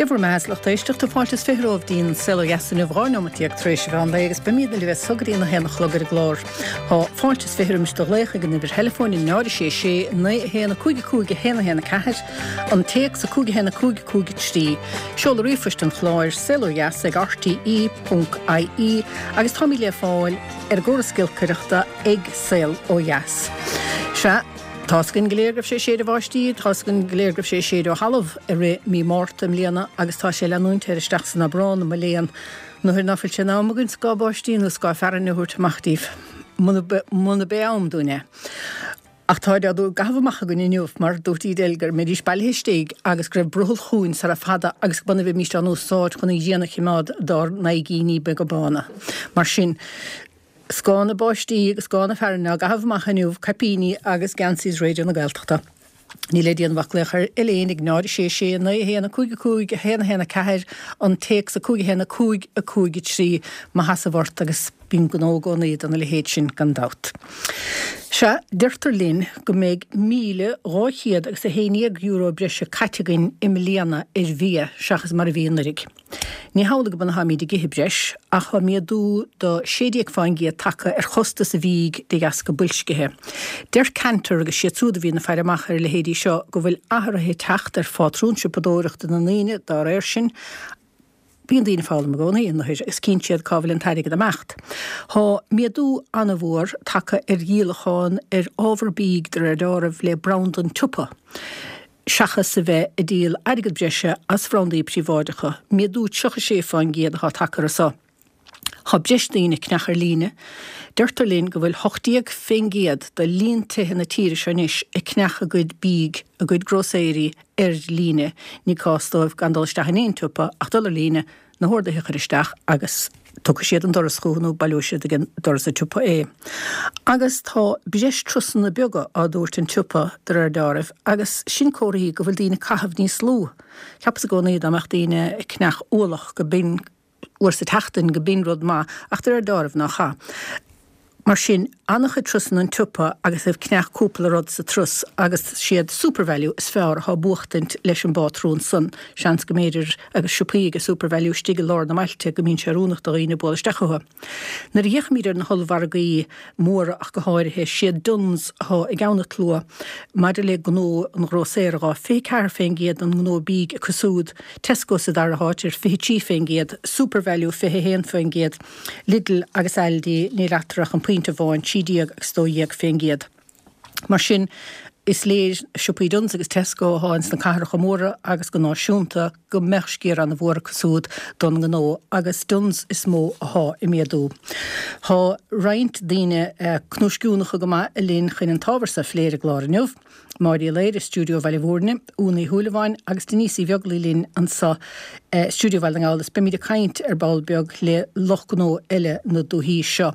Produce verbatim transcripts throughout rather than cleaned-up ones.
Dia bhur mbeatha, lucht éisteachta, fáilte is fiche romhaibh dtí'n Saol Ó Dheas inniu dhá neomat déag tar éis an mheán lae agus beimíd libh as so go dtí an a haon a chlog ar an gclár. Tá fáilte is fiche roimis do ghlaoch ag an uimhir theileafóin náid a sé sé naoi a haon a cúig a cúig a haon a haon a ceathair, an téacs a cúig a haon a cúig a cúig a trí, seoladh ríomhphoist an chláir saol ó dheas ag rte ponc ie agus táimid le fáil ar an gcóras giolcaireachta ag Saol Ó Dheas. Sea, tá's againn go léir go raibh sé ag séideadh báistí, tá's againn go léir go raibh sé ag séideadh ó thalamh i rith mí Márta i mbliana agus tá sé ag leanúint air isteach san Aibreán, mo léan, nuair ná fuil sé in am againn scáth báistí nó scáth fearthainne a thabhairt amach daoibh, muna b'é am dúinn é. Ach táid á gcaitheamh amach againn inniu mar dúirt Edel go mbeidís bailithe istigh agus go raibh brothall chugainn sara fada agus go b'ionann a bheimíst á n-úsáid chun an ghrian a chimeád dár n-aghaidhíní beaga bána. Mar sin, scáth na báistí agus scáth na fearthainne á gcaitheamh amach inniu, caipíní agus geansaí Raidió na Gaeltachta. Níl le déanamh ach glaoch ar Elaine ag náid a sé sé naoi a haon a cúig a cúig a haon a haon a ceathair, an téacs a cúig a haon a cúig a cúig a trí má sheasamh ort agus bíonn gnó i gcónaí dona leithéid sin gan dabht. Sea, deirtear linn go mbeidh míle dhá chéad agus a haon dhéag euro breise caite againn i mbliana ar bhia seachas mar a bhí anuraidh. Ní hamhlaidh go mb'ionann tháimid ag ithe breis, ach tá méadú do sé déag fán gcéad tagtha ar chostas an bhídh de dheasca boilscithe. Deir Kantar agus siad súd a bhíonn ag faire amach ar a leithéidí seo go bhfuil athruithe ag teacht ar phátrún siopadóireachta na ndaoine dá réir sin. Bíonn daoine ag foghlaim i gcónaí, a nathair, agus cíonn siad cá bhfuil an t-airgead ag imeacht. Tá méadú an-mhór tagtha ar dhíolachán ar ábhar bídh de réir dealraimh le branda an tsiopa. seachas a bheith ag díol airgead breise as bhrandaí príobháideacha, méadú tríocha sé fán gcéad atá tagtha air so. Tá breis daoine ag ceannach ar líne. Deirtear linn go bhfuil hocht déag fén gcéad de líon tithe na tíre seo anois ag ceannach a gcuid bídh, a gcuid grósaeirí ar líne. Ní cás dóibh gan dul isteach in aon tsiopa ach dul ar líne, na horduithe a chur isteach agus tiocfaidh siad an doras chucu nó baileoidh siad ag doras an tsiopa é. Agus tá breis trusanna beaga á dtabhairt an tsiopa de réir dealraimh agus sin comharthaí go bhfuil daoine ag caitheamh níos lú. Cheapas i gcónaí dá mbeadh daoine ag ceannach ualach go b'in uair sa tseachtain go b'in rud maith ach de réir dealraimh nach ea. Mar sin, an-chuid trusanna an tsiopa agus ag ceannach cúpla rud sa trus agus siad SuperValu is fearr atá buachtaint leis an bpátrún san. Seans go mb'fhéidir agus siopaí ag SuperValu istigh i lár na mbailte go mbíonn sé oiriúnach do dhaoine bualadh isteach chucu. Nuair a fhéachaimid ar na hollmhargaí móra ach go háirithe, siad Dunnes atá i gceann an tslua maidir le gnó an ghrósaera dhá, fiche ceathair fén gcéad den ngnó bídh acu súd, Tesco sa dara háit ar fiche trí fén gcéad, SuperValu fiche haon fén gcéad. Lidl agus Aldi, níl eatarthu ach an pointe amháin, trí déag agus dó dhéag fén gcéad. Mar sin, is léir, siopaí Dunnes agus Tesco atá ins na cathracha móra agus go náisiúnta, go mbeadh sciar an-mhór acu súd don ngnó agus Dunnes is mó atá ag méadú. Tá roinnt daoine cnuaisciúnacha go maith linn chun an t-ábhar so a phlé ar an gclár inniu. Máire Uí Laoire i stiúideo Bhaile Mhúirne, Úna Uí Shúilleabháin agus Denise Uí Bheaglaoich linn anso i stiúideo Bhaile na nGall is beimid ag caint ar ball beag le lucht gnó eile na dúichí seo.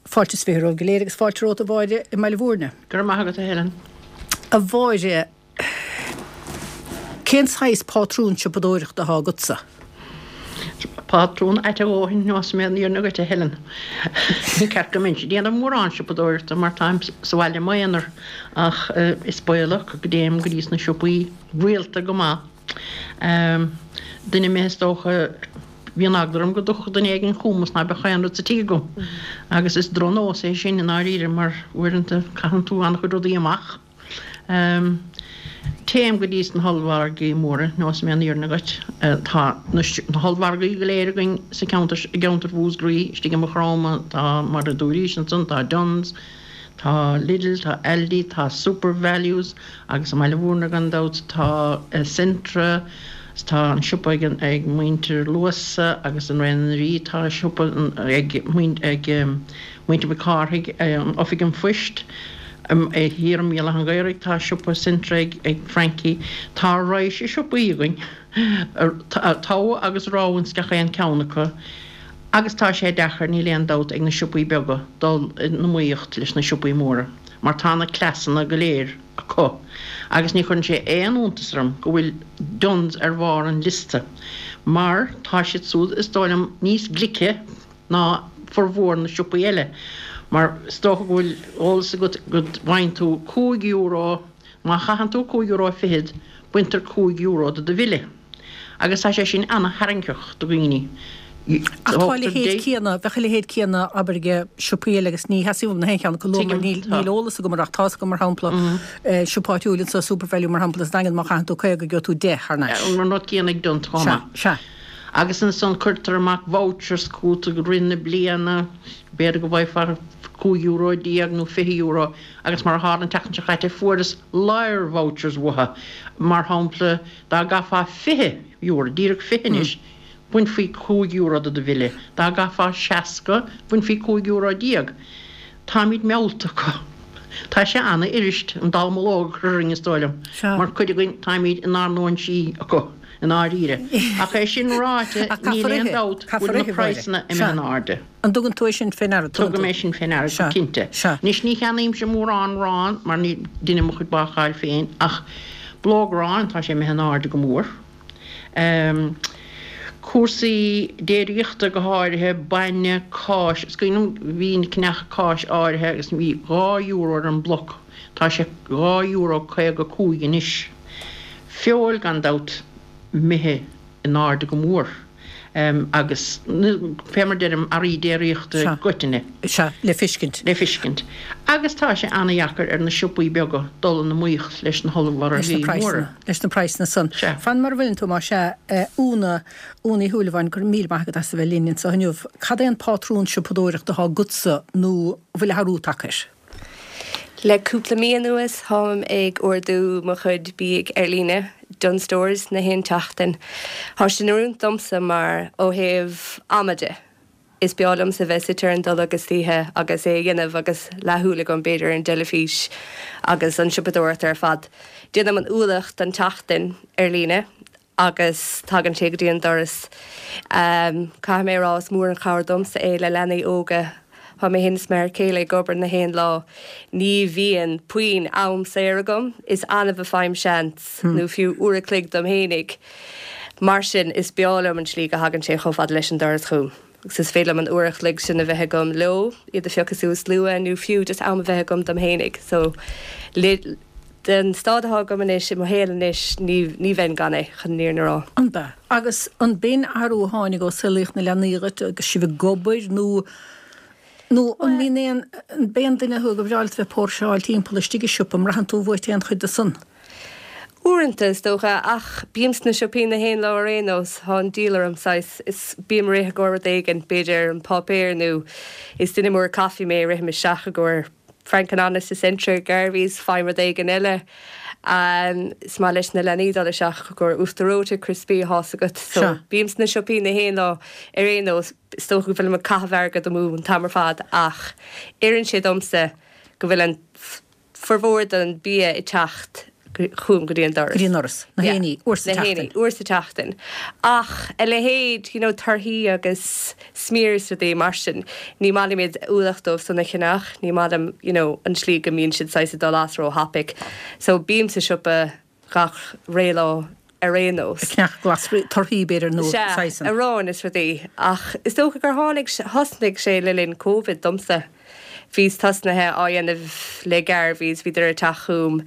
Fáilte is fiche romhaibh go léir agus fáilte romhat a Mháire i mBaile Mhúirne. Go raibh maith agat a Helen. A Mháire, cén saghas pátrún siopadóireachta atá agatsa? Pátrún ait a dhóthain más mé an fhírinne dhuit, a Helen. Ní ceart go mbeinnse ag déanamh mórán siopadóireachta mar táim sa bhaile i m'aonar ach is baolach go dtéim go dtí sna siopaí rialta go maith. Duine mé is dócha, bíonn eagla orm go dtiocfadh duine éigin chugam is ná beadh aon rud sa tigh agam. Agus is drochnós é sin i ndáiríre mar uaireanta caitheann tú an-chuid rudaí amach. Téim go dtí sna hollmhargaí móra, neosfaidh mé an fhírinne dhuit. Tá na hollmhargaí go léir againn sa cheantar, i gceantar Mhúscraí, istigh i Maigh Chromtha, tá, mar a dúraís ansan, tá Dunnes, tá Lidl, tá Aldi, tá SuperValues agus i mBaile Mhúirne gan dabht tá Centra, tá an siopa ag ag muintir Luasa agus i nDroichead an Rí tá siopa ag ag muintir Mhic Cárthaigh, Oifig an Phoist. Thiar i mBéal Átha an Ghaorthaidh tá siopa Centra ag Frankie. Tá raidhse siopaí againn, togha agus rogha ins gach aon ceann acu agus tá sé deacair, níl aon dabht, ag na siopaí beaga dul in iomaíocht leis na siopaí móra mar tá na cleasanna go léir acu agus ní chuireann sé aon iontas orm go bhfuil Dunnes ar bharr an liosta mar tá siad súd, is dóigh liom, níos glice. ná formhór na siopaí eile, mar is dócha go bhfuil eolas agat go bhfaigheann tú cúig euro, má chaitheann tú cúig euro fichead, baintear cúig euro de do bhille. Agus tá sé sin ana-tharraingteach do dhaoine. Ach tá a leithéid céanna, bheadh a leithéid céanna abair ag siopaí eile agus ní sheasaim na haon cheann acu luath mar níl níl eolas agam air ach tá's agam mar shampla siopa áitiúil anseo Supervalu mar shampla sa Daingean má chaitheann tú caoga gheobhaidh tú deich thar n-ais. An rud céanna ag Dunnes chomh Sea, maith. sea. Agus ansan cuirtear amach vouchers chugat i rith na bliana, b'fhéidir go bhfaighfeá cúig euro déag nó fiche euro agus mar a tharla an tseachtain seo caite fuaireas lear vouchers uathu, mar shampla dá gcaithfeá fiche euro, díreach fiche anois, Bhainfí cúig euro de do bhille. Dá gcaithfeá seasca, bhainfí cúig euro déag. Táimid meallta acu. Tá sé ana-fhuirist an dallamullóg a chur orainn, is dóigh liom, mar cuid againn táimid inár n-óinsí acu, i ndáiríre. Ach é sin ráite, Ach níl caithfear aon ithe. dabht go Caithfear bhfuil na ithe, Mháire. praghsanna Sea. imithe in airde. An dtugann tú é sin fé ndeara? Tugann Tugaim tú. é sin fé ndeara, go Sea. cinnte. Sea. Anois, ní cheannaímse mórán arán, mar ní deinim mo chuid bácáil féin, ach blóg aráin, tá sé imithe in airde go mór. Cúrsaí déiríochta go háirithe, bainne, cáis, is cuimhin liom bhínn ag ceannach cáis áirithe agus bhí dhá euro ar an mbloc, tá sé dhá euro caoga cúig anois. Feoil gan dabht imithe in airde go mór. Agus fé mar deirim, earraí déiríochta i Sea. gcoitinne. Sea, le fiscint. Le fiscint. Agus tá sé ana-dheacair ar na siopaí beaga dul in iomaíocht leis na Leis na hollmhargaí móra. praghsanna, leis na praghsanna san. Sea. Fan mar a bhfuileann tú, más ea, a Úna, Úna Uí Shúilleabháin, go raibh míle maith agat as a bheith linn anseo inniu. Cad é an pátrún siopadóireachta atá agatsa nó an bhfuil athrú tagtha air? Le cúpla mí anuas táim ag ordú mo chuid bídh ar líne, Dunnes Stores, na haon tseachtain. Tá sé in oiriúint domsa mar ó thaobh ama de, is breá liomsa bheith suite ar an dtolg istoíche agus é a dhéanamh agus leathshúil agam b'fhéidir ar an dteilifís agus an siopadóireacht ar fad. Déanaim an ualach don tseachtain ar líne agus tagann sé go dtí an doras. Caithfidh mé a rá is mór an chabhair domsa é le leanaí óga. Tá mé féin is m'fhear céile ag obair na haon lá. Ní bhíonn puinn am saor agam, is annamh a fhaighim seans, nó fiú uair a chloig dom fhéinig. Mar sin, is breá liom an tslí go thagann sé chomh fada leis an doras chugam. Agus is féidir liom an uair a chloig sin a bheith agam leo, iad a phiocadh suas luath, nó fiú just am a bheith agam dom fhéinig. So, le, den staid atá agam anois, i mo shaol anois, ní, ní bheinn gan é, chun an fhírinne a rá. An b'ea? Agus an b'in athrú a tháinig ó saolaíodh na leanaí dhuit agus sibh ag obair nó, nó an mbíonn aon, an b'aon duine thú gur bhreá leat bheith ag póirseáil timpeall istigh i siopa, an mbraitheann tú uait aon chuid de san? Uaireanta, is dócha, ach bím sna siopaí na haon lá ar aon nós, tá an díol orm, saghas, is bím ag rith i gcomhair rud éigin, b'fhéidir an páipéar nó is duine mór caife mé, rithim isteach i gcomhair Frank and Honest i Centra, Garveys, faighim rud éigin eile. Is maith leis na leanaí dul isteach i gcomhair uachtar reoite, criospaí, tá's agat. So Sea. bím sna siopaí na haon lá ar aon nós. Is dócha go bhfuilim ag caitheamh airgead amú an t-am ar fad ach oireann sé domsa go bhfuil an formhór den bia ag teacht chugam go dtí an doras. Go dtí an doras. Na Yeah. haon ní, uair sa Na haon tseachtain. ní, uair sa tseachtain. Ach a leithéid, you know, torthaí agus smear is rudaí mar sin, ní maith liom iad ualach dóibh san a cheannach, ní maith liom, you know, an tslí go mbíonn siad saghas ag dul as ró-thapaidh. So bím sa siopa gach ré lá ar aon nós. Ag ceannach glasraí, torthaí b'fhéidir nó Sea, saghas. arán is rudaí. Ach is dócha gur tháinig, thosnaigh sé le linn Covid domsa. Bhíos tosnaithe á dhéanamh le Garveys, bhíodar ag teacht chugam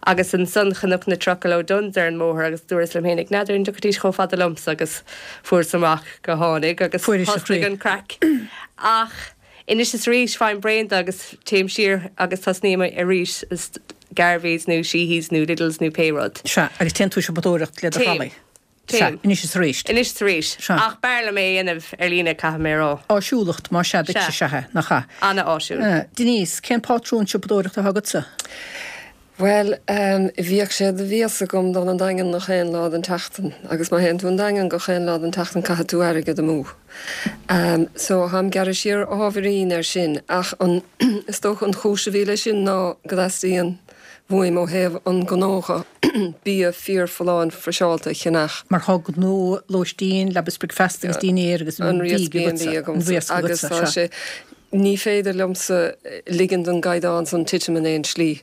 agus ansan chonac na trucail ó Dunnes ar an mbóthar agus dúras liom fhéinig, n'fheadar an dtiocfaidís chomh fada liomsa agus fuaireas amach go tháinig agus Fuairis a thosnaigh chroí. an craic. Ach anois is arís faighim braon de agus téim siar agus tosnaím arís is Garveys nó Sheehy's nó Lidl's nó pé rud. Sea, agus téann tú siopadóireacht le do Téim. thralaí. Sea, Téim. anois is arís. Anois is arís. Sea. Ach b'fhearr liom é a dhéanamh ar líne, caithfidh mé a rá. Áisiúlacht, más ea duitse, Sea. sea é, nach ea? Ana-áisiúil. Eh, Denise, cén pátrún siopadóireachta atá agatsa? Bhuel, ehm, bhíodh sé de mhias agam dul an Daingean gach aon lá den tseachtain, agus má théann tú an Daingean gach aon lá den tseachtain caithfidh tú airgead amú. Ehm, so táim gearrtha siar ábhairín air sin, ach an, is dócha an chúis a bhí leis sin ná go dteastaíonn uaim ó thaobh an ghnó dhe bia fíorfholláin friseáilte a cheannach. Mar tá gnó lóistín, leaba is bricfeasta agus dinnéar agus An bídh riasc B and agatsa, B an agamsa riasc agus agatsa, tá sea. sé, ní féidir liomsa ligean don gcaighdeán san titim in aon slí.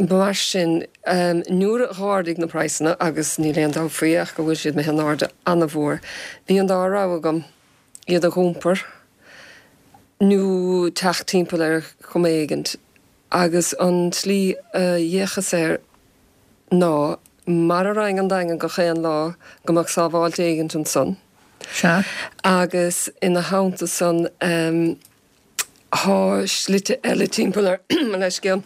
Mar sin, nuair a dh'ardaigh na praghsanna, agus níl aon dabht faoi ach go bhfuil siad imithe in airde ana-mhór, bhí an dá rogha agam, iad a dh'iompar nó teacht timpeall ar chuma éigint. Agus an tslí a d'fhéachas air ná mara raghainn an Daingean gach aon lá go mbeadh sábháilt éigint ansan. Sea. Agus ina theannta san thá slite eile timpeall ar mo leithscéal.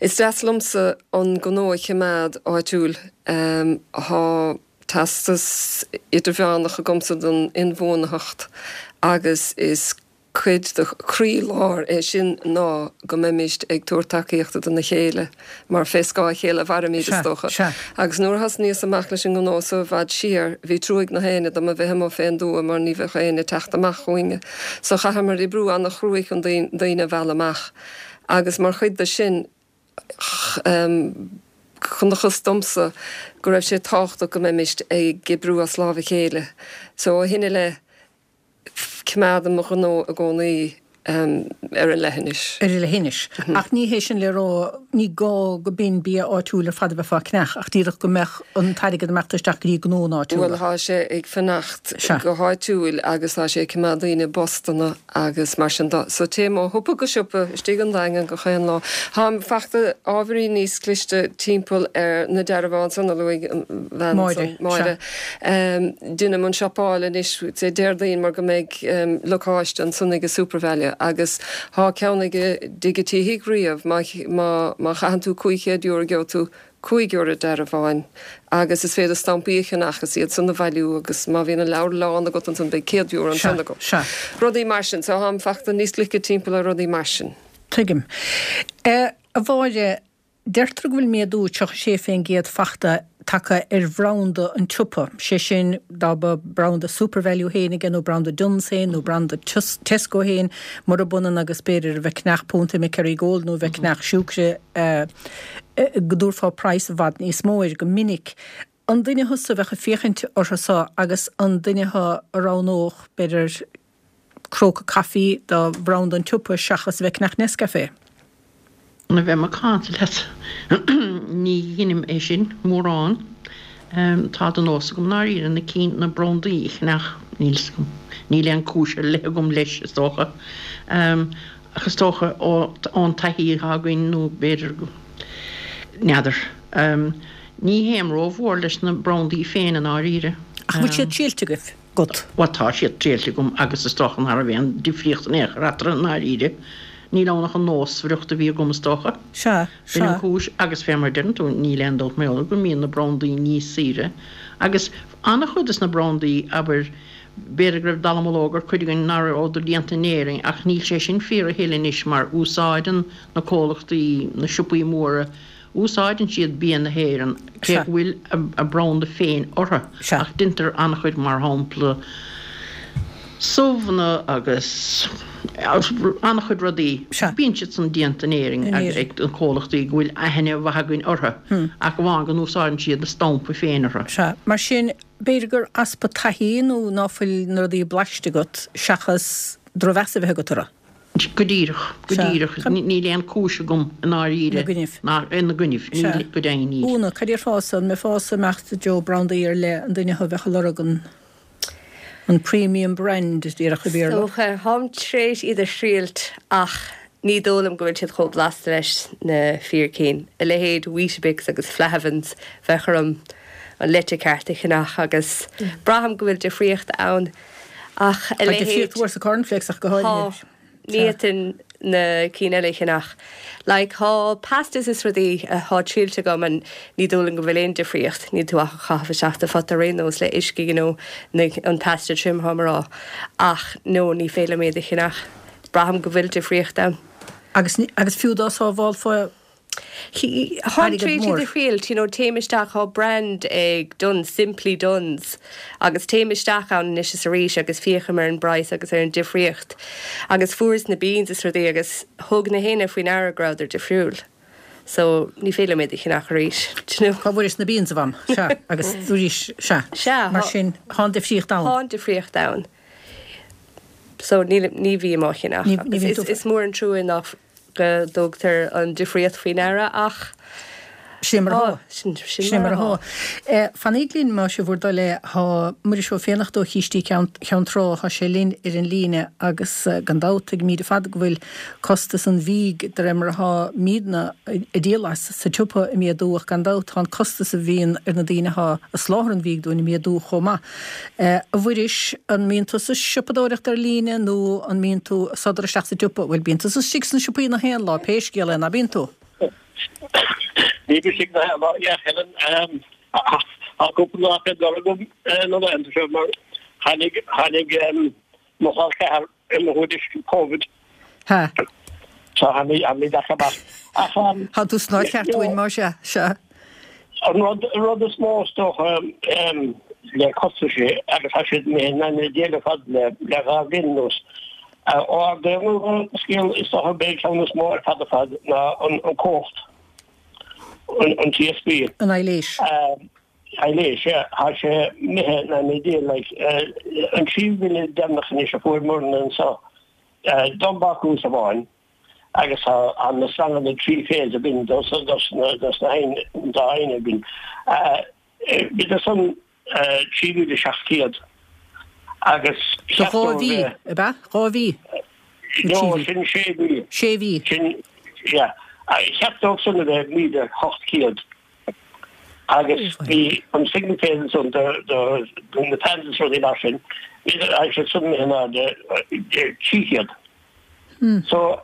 Is deas liomsa an gnó a chimeád áitiúil. Thá teastas idirmheánach agamsa don inbhuanaitheacht agus is cuid de chroílár é sin ná go mbeimist ag tabhairt tacaíochta dona chéile mar fé scáth a chéile a mhairimid, is dócha. Agus nuair a thosnaíos amach leis an ngnó so i bhfad siar, bhí trua ag na héinne dom a bheith amuigh fén dtuath mar ní bheadh éinne ag teacht amach chugainne. So chaitheamar oibriú ana-chruaidh chun daoine a mhealladh amach. Agus mar chuid de sin, chonacthas domsa go raibh sé tábhachtach go mbeimist ag oibriú as lámh a chéile. So ó shin i leith, Coimeádaim mo ghnó i gcónaí ar an leithinis. Ar an leithinis. Ach ní hé sin le rá, ní gá go b'in bia áitiúil ar fad a bheifeá a cheannach, ach díreach go mbeadh an t-airgead ag imeacht isteach go dtí gnónna áitiúla. Bhuel, tá sé ag fanacht go háitiúil agus tá sé ag coimeád daoine i bpostanna agus mar sin de. So téim ó shiopa go siopa istigh an Daingean gach aon lá. Táim fachta ábhairín níos cliste timpeall ar na dearbháin san a luaigh an bhean ansan, Máire. Deinim an siopail anois Dé Déardaoin mar go mbeidh lacáiste ansan ag an Supervalu agus thá ceann ag Digití Thigh Riabh má má chaitheann tú cúig chéad euro gheobhaidh tú cúig euro dearbháin agus is féidir stampaí a cheannach is iad san a bhailiú agus má bhíonn an leabhar lán agat ansan beidh céad euro ansan agat. Rudaí mar sin. So tháim fachta níos glice timpeall ar rudaí mar sin. Tuigim. A Mháire, Deirtear go bhfuil méadú tríocha sé fén gcéad fachta tagtha ar bhranda an tsiopa, sé sin dá mba branda Supervalu féin aige nó branda Dunnes féin nó branda Tesco féin, murab ionann agus b'fhéidir a bheith ag ceannach punt ime Kerrygold nó a bheith ag ceannach siúcra go dtabharfá praghas i bhfad níos mó air go minic. An duine thusa a bheadh ag féachaint orthu so agus an duine thu a roghnódh b'fhéidir cróca caife de bhranda an tsiopa seachas a bheith ag ceannach Nescafé? Le bheith macánta leat, ní dheinim é sin mórán. Tá de nós agam ndáiríre na cinn, na brandaí a cheannach, níl 'fhios agam, níl aon chúis ar leith agam leis, is dócha. Ach is dócha ón taithí atá againn nó b'fhéidir go, n'fheadar. Ní théim rómhór leis na brandaí féin i ndáiríre. Ach an bhfuil siad triailte agaibh? agat? Bhuel, tá siad triailte agam agus is dócha nach raibh aon difríocht in aon chor eatarthu i ndáiríre. Níl ann ach an nósmhaireacht a bhí agam is dócha. Sea, B'in an sea. cúis agus fé mar a deireann tú, níl aon dabht mar go mbíonn na brandaí níos saoire agus an-chuid des na brandaí, abair, b'fhéidir go raibh dallamullóg ar cuid againn nach rabhadar déanta in Éirinn ach níl sé sin fíor a thuilleadh anois mar úsáideann na comhlachtaí, na siopaí móra, Úsáideann siad bia na hÉireann, cé Sea. go bhfuil a branda féin orthu, Sea. ach deintear an-chuid, mar shampla, subhanna agus an-chuid rudaí, Sea. bíonn siad san déanta in Éirinn In Éirinn. ag na comhlachtaí go bhfuil aithne mhaith againn orthu, ach amháin go n-úsáideann siad a stampa féin orthu. Sea. Mar sin, b'fhéidir gur easpa taithí nó ná fuil na rudaí blaiste agat seachas drochmheas a bheith agat orthu. Go díreach, go díreach. Níl aon chúis agam i ndáiríre ná ina gcoinnibh, níl, go deimhin níl. Úna, cad déarfása, an mbeifeása ag imeacht i dtreo brandaí ar leith, an duine thú a bheadh ag lorg an an premium brand, díreach i Is mBéarla? dócha, táim tar éis iad a thriailt ach ní dóigh liom go bhfuil siad chomh blasta leis na fíor cinn. A leithéid Weetabix agus Flahavan's, bheadh orm an leite ceart a cheannach agus braithim go bhfuil difríocht ann. Ach a Tá leithéid. difríocht mhór sa cornflakes ach go háirithe. Tá. Ní fhéadfainn na cinn eile a cheannach. Like, tá pastas is rudaí atá triailte agam and ní dóigh liom go bhfuil aon difríocht. Níl tú ach á chaitheamh isteach sa phota ar aon nós le uisce, you know, na, an pasta tirim tháim a rá. Ach no, ní féidir liom iad a cheannach. Braithim go bhfuil difríocht ann. Agus, agus fiú dá sábhálfá Táim airgead tar éis iad mór. a thriailt, you know, téim isteach, tá brand ag Dunnes, Simply Dunnes, agus téim isteach ann anois is arís agus féachaim ar an bpraghas agus ar an difríocht. Agus fuaireas na beans is rudaí agus thug na héinne faoi ndeara go rabhadar difriúil. So, ní féidir liom iad a cheannach arís, do you know. Cá bhfuairis na beans, a mham? Sea, agus arís, sea. Sea, Mar thá. sin, thá an difríocht ann. Thá an difríocht ann. So, níl, ní bhím á cheannach. Ní, ní Agus bhíonn is, tú. is mór an trua nach go dtugtar an difríocht faoi ndeara ach Sin mar atá. Sin Sin mar atá. Fanaigí linn más é bhur dtoil é, tá Muiris Ó Fiannachta ó Chístí Ceann Trá, tá sé linn ar an líne agus gan dabht tuigimid ar fad go bhfuil costas an bhídh de réir mar atáimidne ag díol as sa tsiopa ag méadú ach gan dabht tá an costas a bhíonn ar na daoine atá ag soláthar an bhídh dúinn ag méadú chomh maith. A Mhuiris, an mbíonn tusa ag siopadóireacht ar líne nó an mbíonn tú ag sodar isteach sa tsiopa? Bhuel bíonn tusa istigh sna siopaí nach aon lá pé scéal é, ná bíonn tú? Bím istigh nach aon lá, yeah Helen. Tá cúpla lá fé dul agam na laethanta seo mar tháinig tháinig mo chol ceathar i mo thuairisc Covid. Ha. So tha mé tha mé deacair amach. Ach Tá tú san áit cheart dúinn mar sea, sea. An rud an rud is mó is dócha le costaisí agus tá siad imithe in ainneoin déag ar fad le le dhá bhliain anuas. Ó ardaíodh an scéal is dócha b'é an ceann is mó ar fad ar fad ná an an cumhacht, an an T S B. An aibhléis. Aibhléis, yeah. Tá sé imithe in ainneoin Dé like an trí bhille deireanach anois a fuaireamarna anseo don bhácús amháin agus tá na sranganna trí phase againn dos dos na dos na haon dá haon againn. Bhíodar san trí mhíle seacht gcéad agus Do dhá cheart mhí, dóibh ab ea? Dhá mhí? Nó No, trí mhí? sin sé mhí. Sé mhí. Sin, yeah. Cheart dóibh san a bheith míle hocht gcéad agus bhí an single phase ansan do do do na fans is rudaí mar sin, bhí siad san imithe in airde trí chéad. So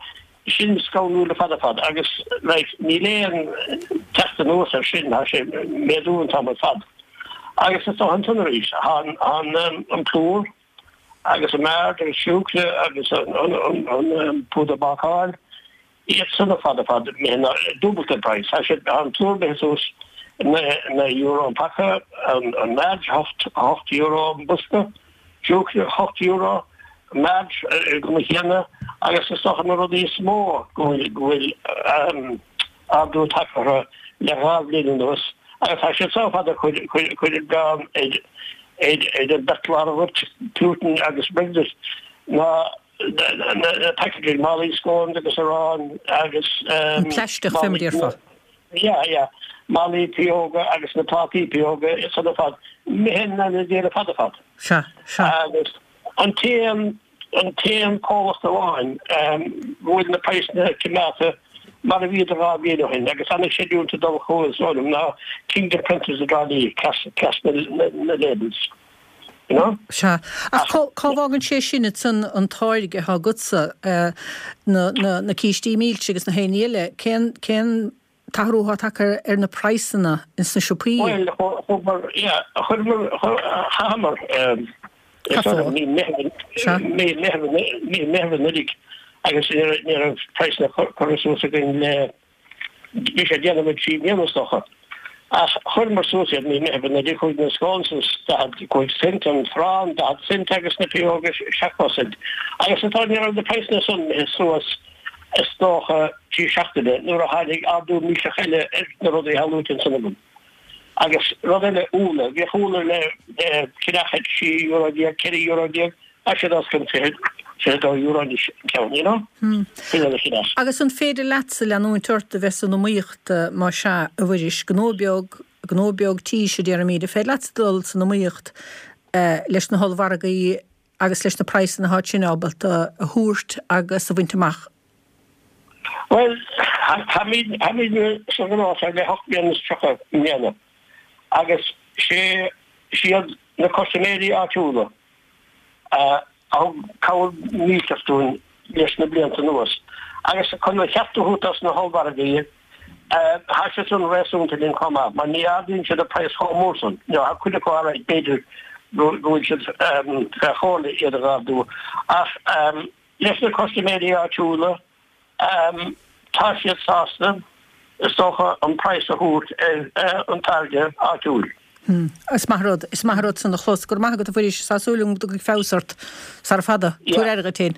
sin scanrúil ar fad ar fad agus like níl aon teacht anuas ar sin, tá sé ag méadú an t-am ar fad. Agus is dócha ansan arís, tá an an an plúr agus an maird agus siúcra agus an an an an púdar bácáil, iad san ar fad ar fad imithe in dúbailt an price. Tá siad tá an plúr imithe suas naoi naoi euro an paca, an an maird hocht hocht euro an bosca, siúcra hocht euro, maird ar an gcuma chéanna agus is dócha na rudaí is mó go bhfuil go bhfuil ardú tagtha orthu le dhá bhliain anuas agus tá siad so fada cur cur cur an milleán ar ar ar an bheirt lármhairt Putin agus Brexit ná na na na packaging málaí scones agus arán agus An plaisteach fé mar a déarfá. Yeah, yeah. Málaí pióga agus na plátaí pióga is san ar fad imithe in ainneoin Dé ar fad ar fad. Sea, sea. Agus an t-aon an t-aon comhlacht amháin go bhfuil na praghsanna coimeádta mar a bhíodar dhá bhliain ó shin agus an-chreidiúint ag dul chucu is dóigh liom ná Kingdom Printers i dTrá Lí, trasna na labels. You know? Sea. Ach cá cá bhfágann sé sin ansan an táirge atá agatsa, na na na cístí milse agus na haon ní eile, cén cén t-athrú atá tagtha ar na praghsanna ins na siopaí? Bhuel, chuamar, yeah, chuireamar, chaitheamar, Cad fáth? mí Meitheamh, Sea. mí Meitheamh, mí Meitheamh anuraidh agus ní raibh ní raibh praghsanna curtha suas againn le, bhí sé ag déanamh trí bliana is dócha. Ach chuireamar suas iad mí Meitheamh anuraidh, chuaigh na scones suas daichead cúig cent, an t-arán daichead cent agus na pióga seachtó cent. Agus atá ní raibh na praghsanna san imithe suas is dócha trí seachtaine nuair a tháinig ardú millteach eile ar na rudaí atá luaite ansan agam. Agus rud eile, úlla, bhíodh úlla le le ceannach ag trí euro déag, ceithre euro déag, tá siad os cionn fiche, fiche dó euro anois an ceann, you know? Sin rud a cheannach. Agus an féidir leatsa leanúint ort a bheith san iomaíocht má sea, a Mhuiris, gnó beag, gnó beag tís a déarfaimid, an féidir leatsa dul san iomaíocht leis na hollmhargaí agus leis na praghsanna atá sin ábalta a thabhairt agus a bhaint amach? Bhuel, táimid, táimid sa ghnó seo le hocht mbliana is tríocha i mbliana agus sé, siad na custaiméirí áitiúla a thug cabhair mhillteach dúinn leis na blianta anuas agus chun an cheart a thabhairt dos na hollmhargaí, Tá siad san réasúnta linn chomh maith, mar ní ardaíonn siad an praghas chomh mór san. Nó tá cuid acu alright, b'fhéidir go bhfuil siad fé chomhairle iad a ardú. Ach leis na custaiméirí áitiúla, tá siad sásta, is dócha, an praghas a thabhairt ar an táirge áitiúil. Is maith an rud, is maith an rud san a chlos. Go raibh maith agat a Mhuiris, tá súil agam go dtiocfaidh feabhas ort sara fada. Tabhair aire dhuit féin.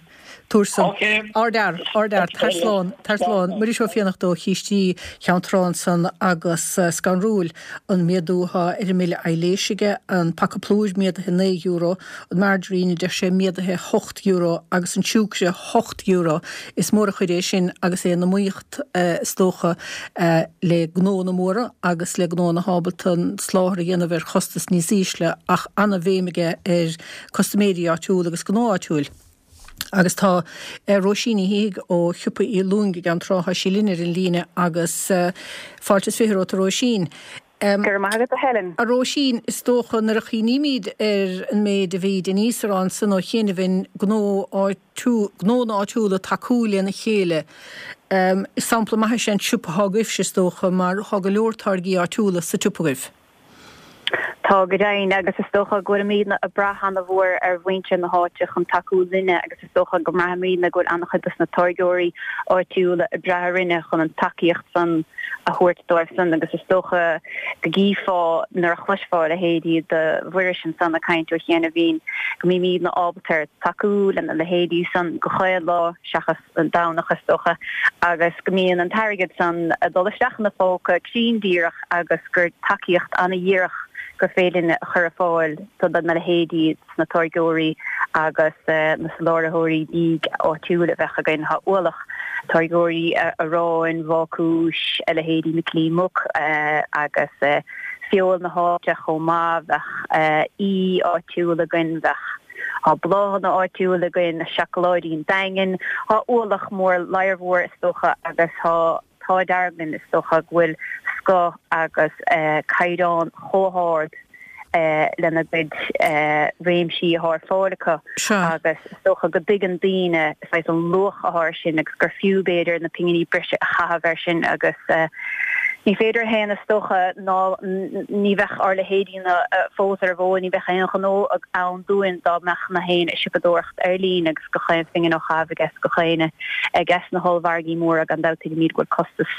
Tabhair san. Ardfhear, ardfhear, tar slán, tar slán. Muiris Ó Fiannachta ó Chístí Cheann Trá ansan agus scanrúil an méadú atá ar an mbille aibhléise aige, an paca plúir méadaithe naoi euro, an margarine a deir sé méadaithe hocht euro agus an siúcra hocht euro. Is mór an chuid é sin agus é in iomaíocht is dócha le gnóanna móra agus le gnóanna atá ábalta an soláthar a dhéanamh ar chostas níos ísle ach ana-bhéim aige ar custaiméirí áitiúla agus gnó áitiúil. Agus tá Róisín Ní Shíthigh ó Shiopa Uí Lúing i gCeann Trá, tá sí linn ar an líne agus fáilte is fiche romhat a Róisín. Go raibh maith agat a Helen. A Róisín, is dócha nuair a chuimhnímid ar an méid a bhí Denise a rá ansan ó chianaibh, gnó áitiúil, gnónna áitiúla tacú lena chéile, is sampla maith é an siopa atá agaibhse is dócha mar tá go leor táirgí áitiúla sa tsiopa agaibh. Tá go deimhin, agus is dócha go bhfuilimidne ag brath ana-mhór ar mhuintir na háite chun tacú linne agus is dócha go mbraithimidne go bhfuil ana-chuid dos na táirgeoirí áitiúla ag brath orainne chun an tacaíocht san a thabhairt dóibh san agus is dócha go gcífeá nuair a chloisfeá a leithéidí de Mhuiris ansan ag caint ó chianaibhín go mbímidne ábalta tacú lena leithéidí san gach aon lá seachas an Domhnach is dócha agus go mbíonn an t-airgead san ag dul isteach ina phóca cruinn díreach agus gur tacaíocht ana-dhíreach gur féidir linn a chur ar fáil do na leithéidí sna táirgeoirí agus na soláthróirí bídh áitiúil a bheadh againn. Tá ualach táirgeoirí aráin, bhácúis, a leithéidí Micilín Muc agus feoil na háite chomh maith, bheadh aoi áitiúil againn, bheadh Tá bláthanna áitiúil againn, seacláidí an Daingin, tá ualach mór ladhar mhór is dócha agus tá t-ádh dearg linn is dócha go bhfuil scoth agus caighdeán chomh hard lena gcuid réimsí atá ar fáil acu agus is dócha go dtuigeann daoine saghas an luach atá ar sin agus gur fiú b'fhéidir na pinginí breise a chaitheamh air sin agus ní féidir a shéanadh is dócha ná ní bheadh ár leithéidí-na fós ar an bhfód, ní bheadh aon ghnó ann dúinn dá mbeadh nach éinne ag siopadóireacht ar líne agus gach aon phingin á chaitheamh aige gach éinne aige sna hollmhargaí móra gan dabht tuigimid go bhfuil costas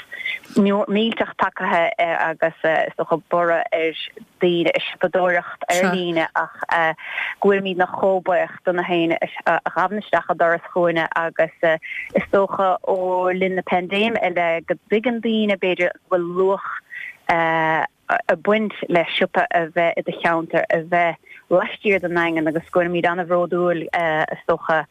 millteach tagtha agus is dócha borradh ar daoine ag siopadóireacht ar líne ach go bhfuilimidne chomh buíoch do na héinne a ghabhann isteach an doras chugainne agus is dócha ó linn na paindéime i leith go dtuigeann daoine b'fhéidir go bhfuil luach ag baint le siopa a bheith i do cheantar, a bheith laistiar den nDaingean agus go bhfuilimid an-bhródúil is dócha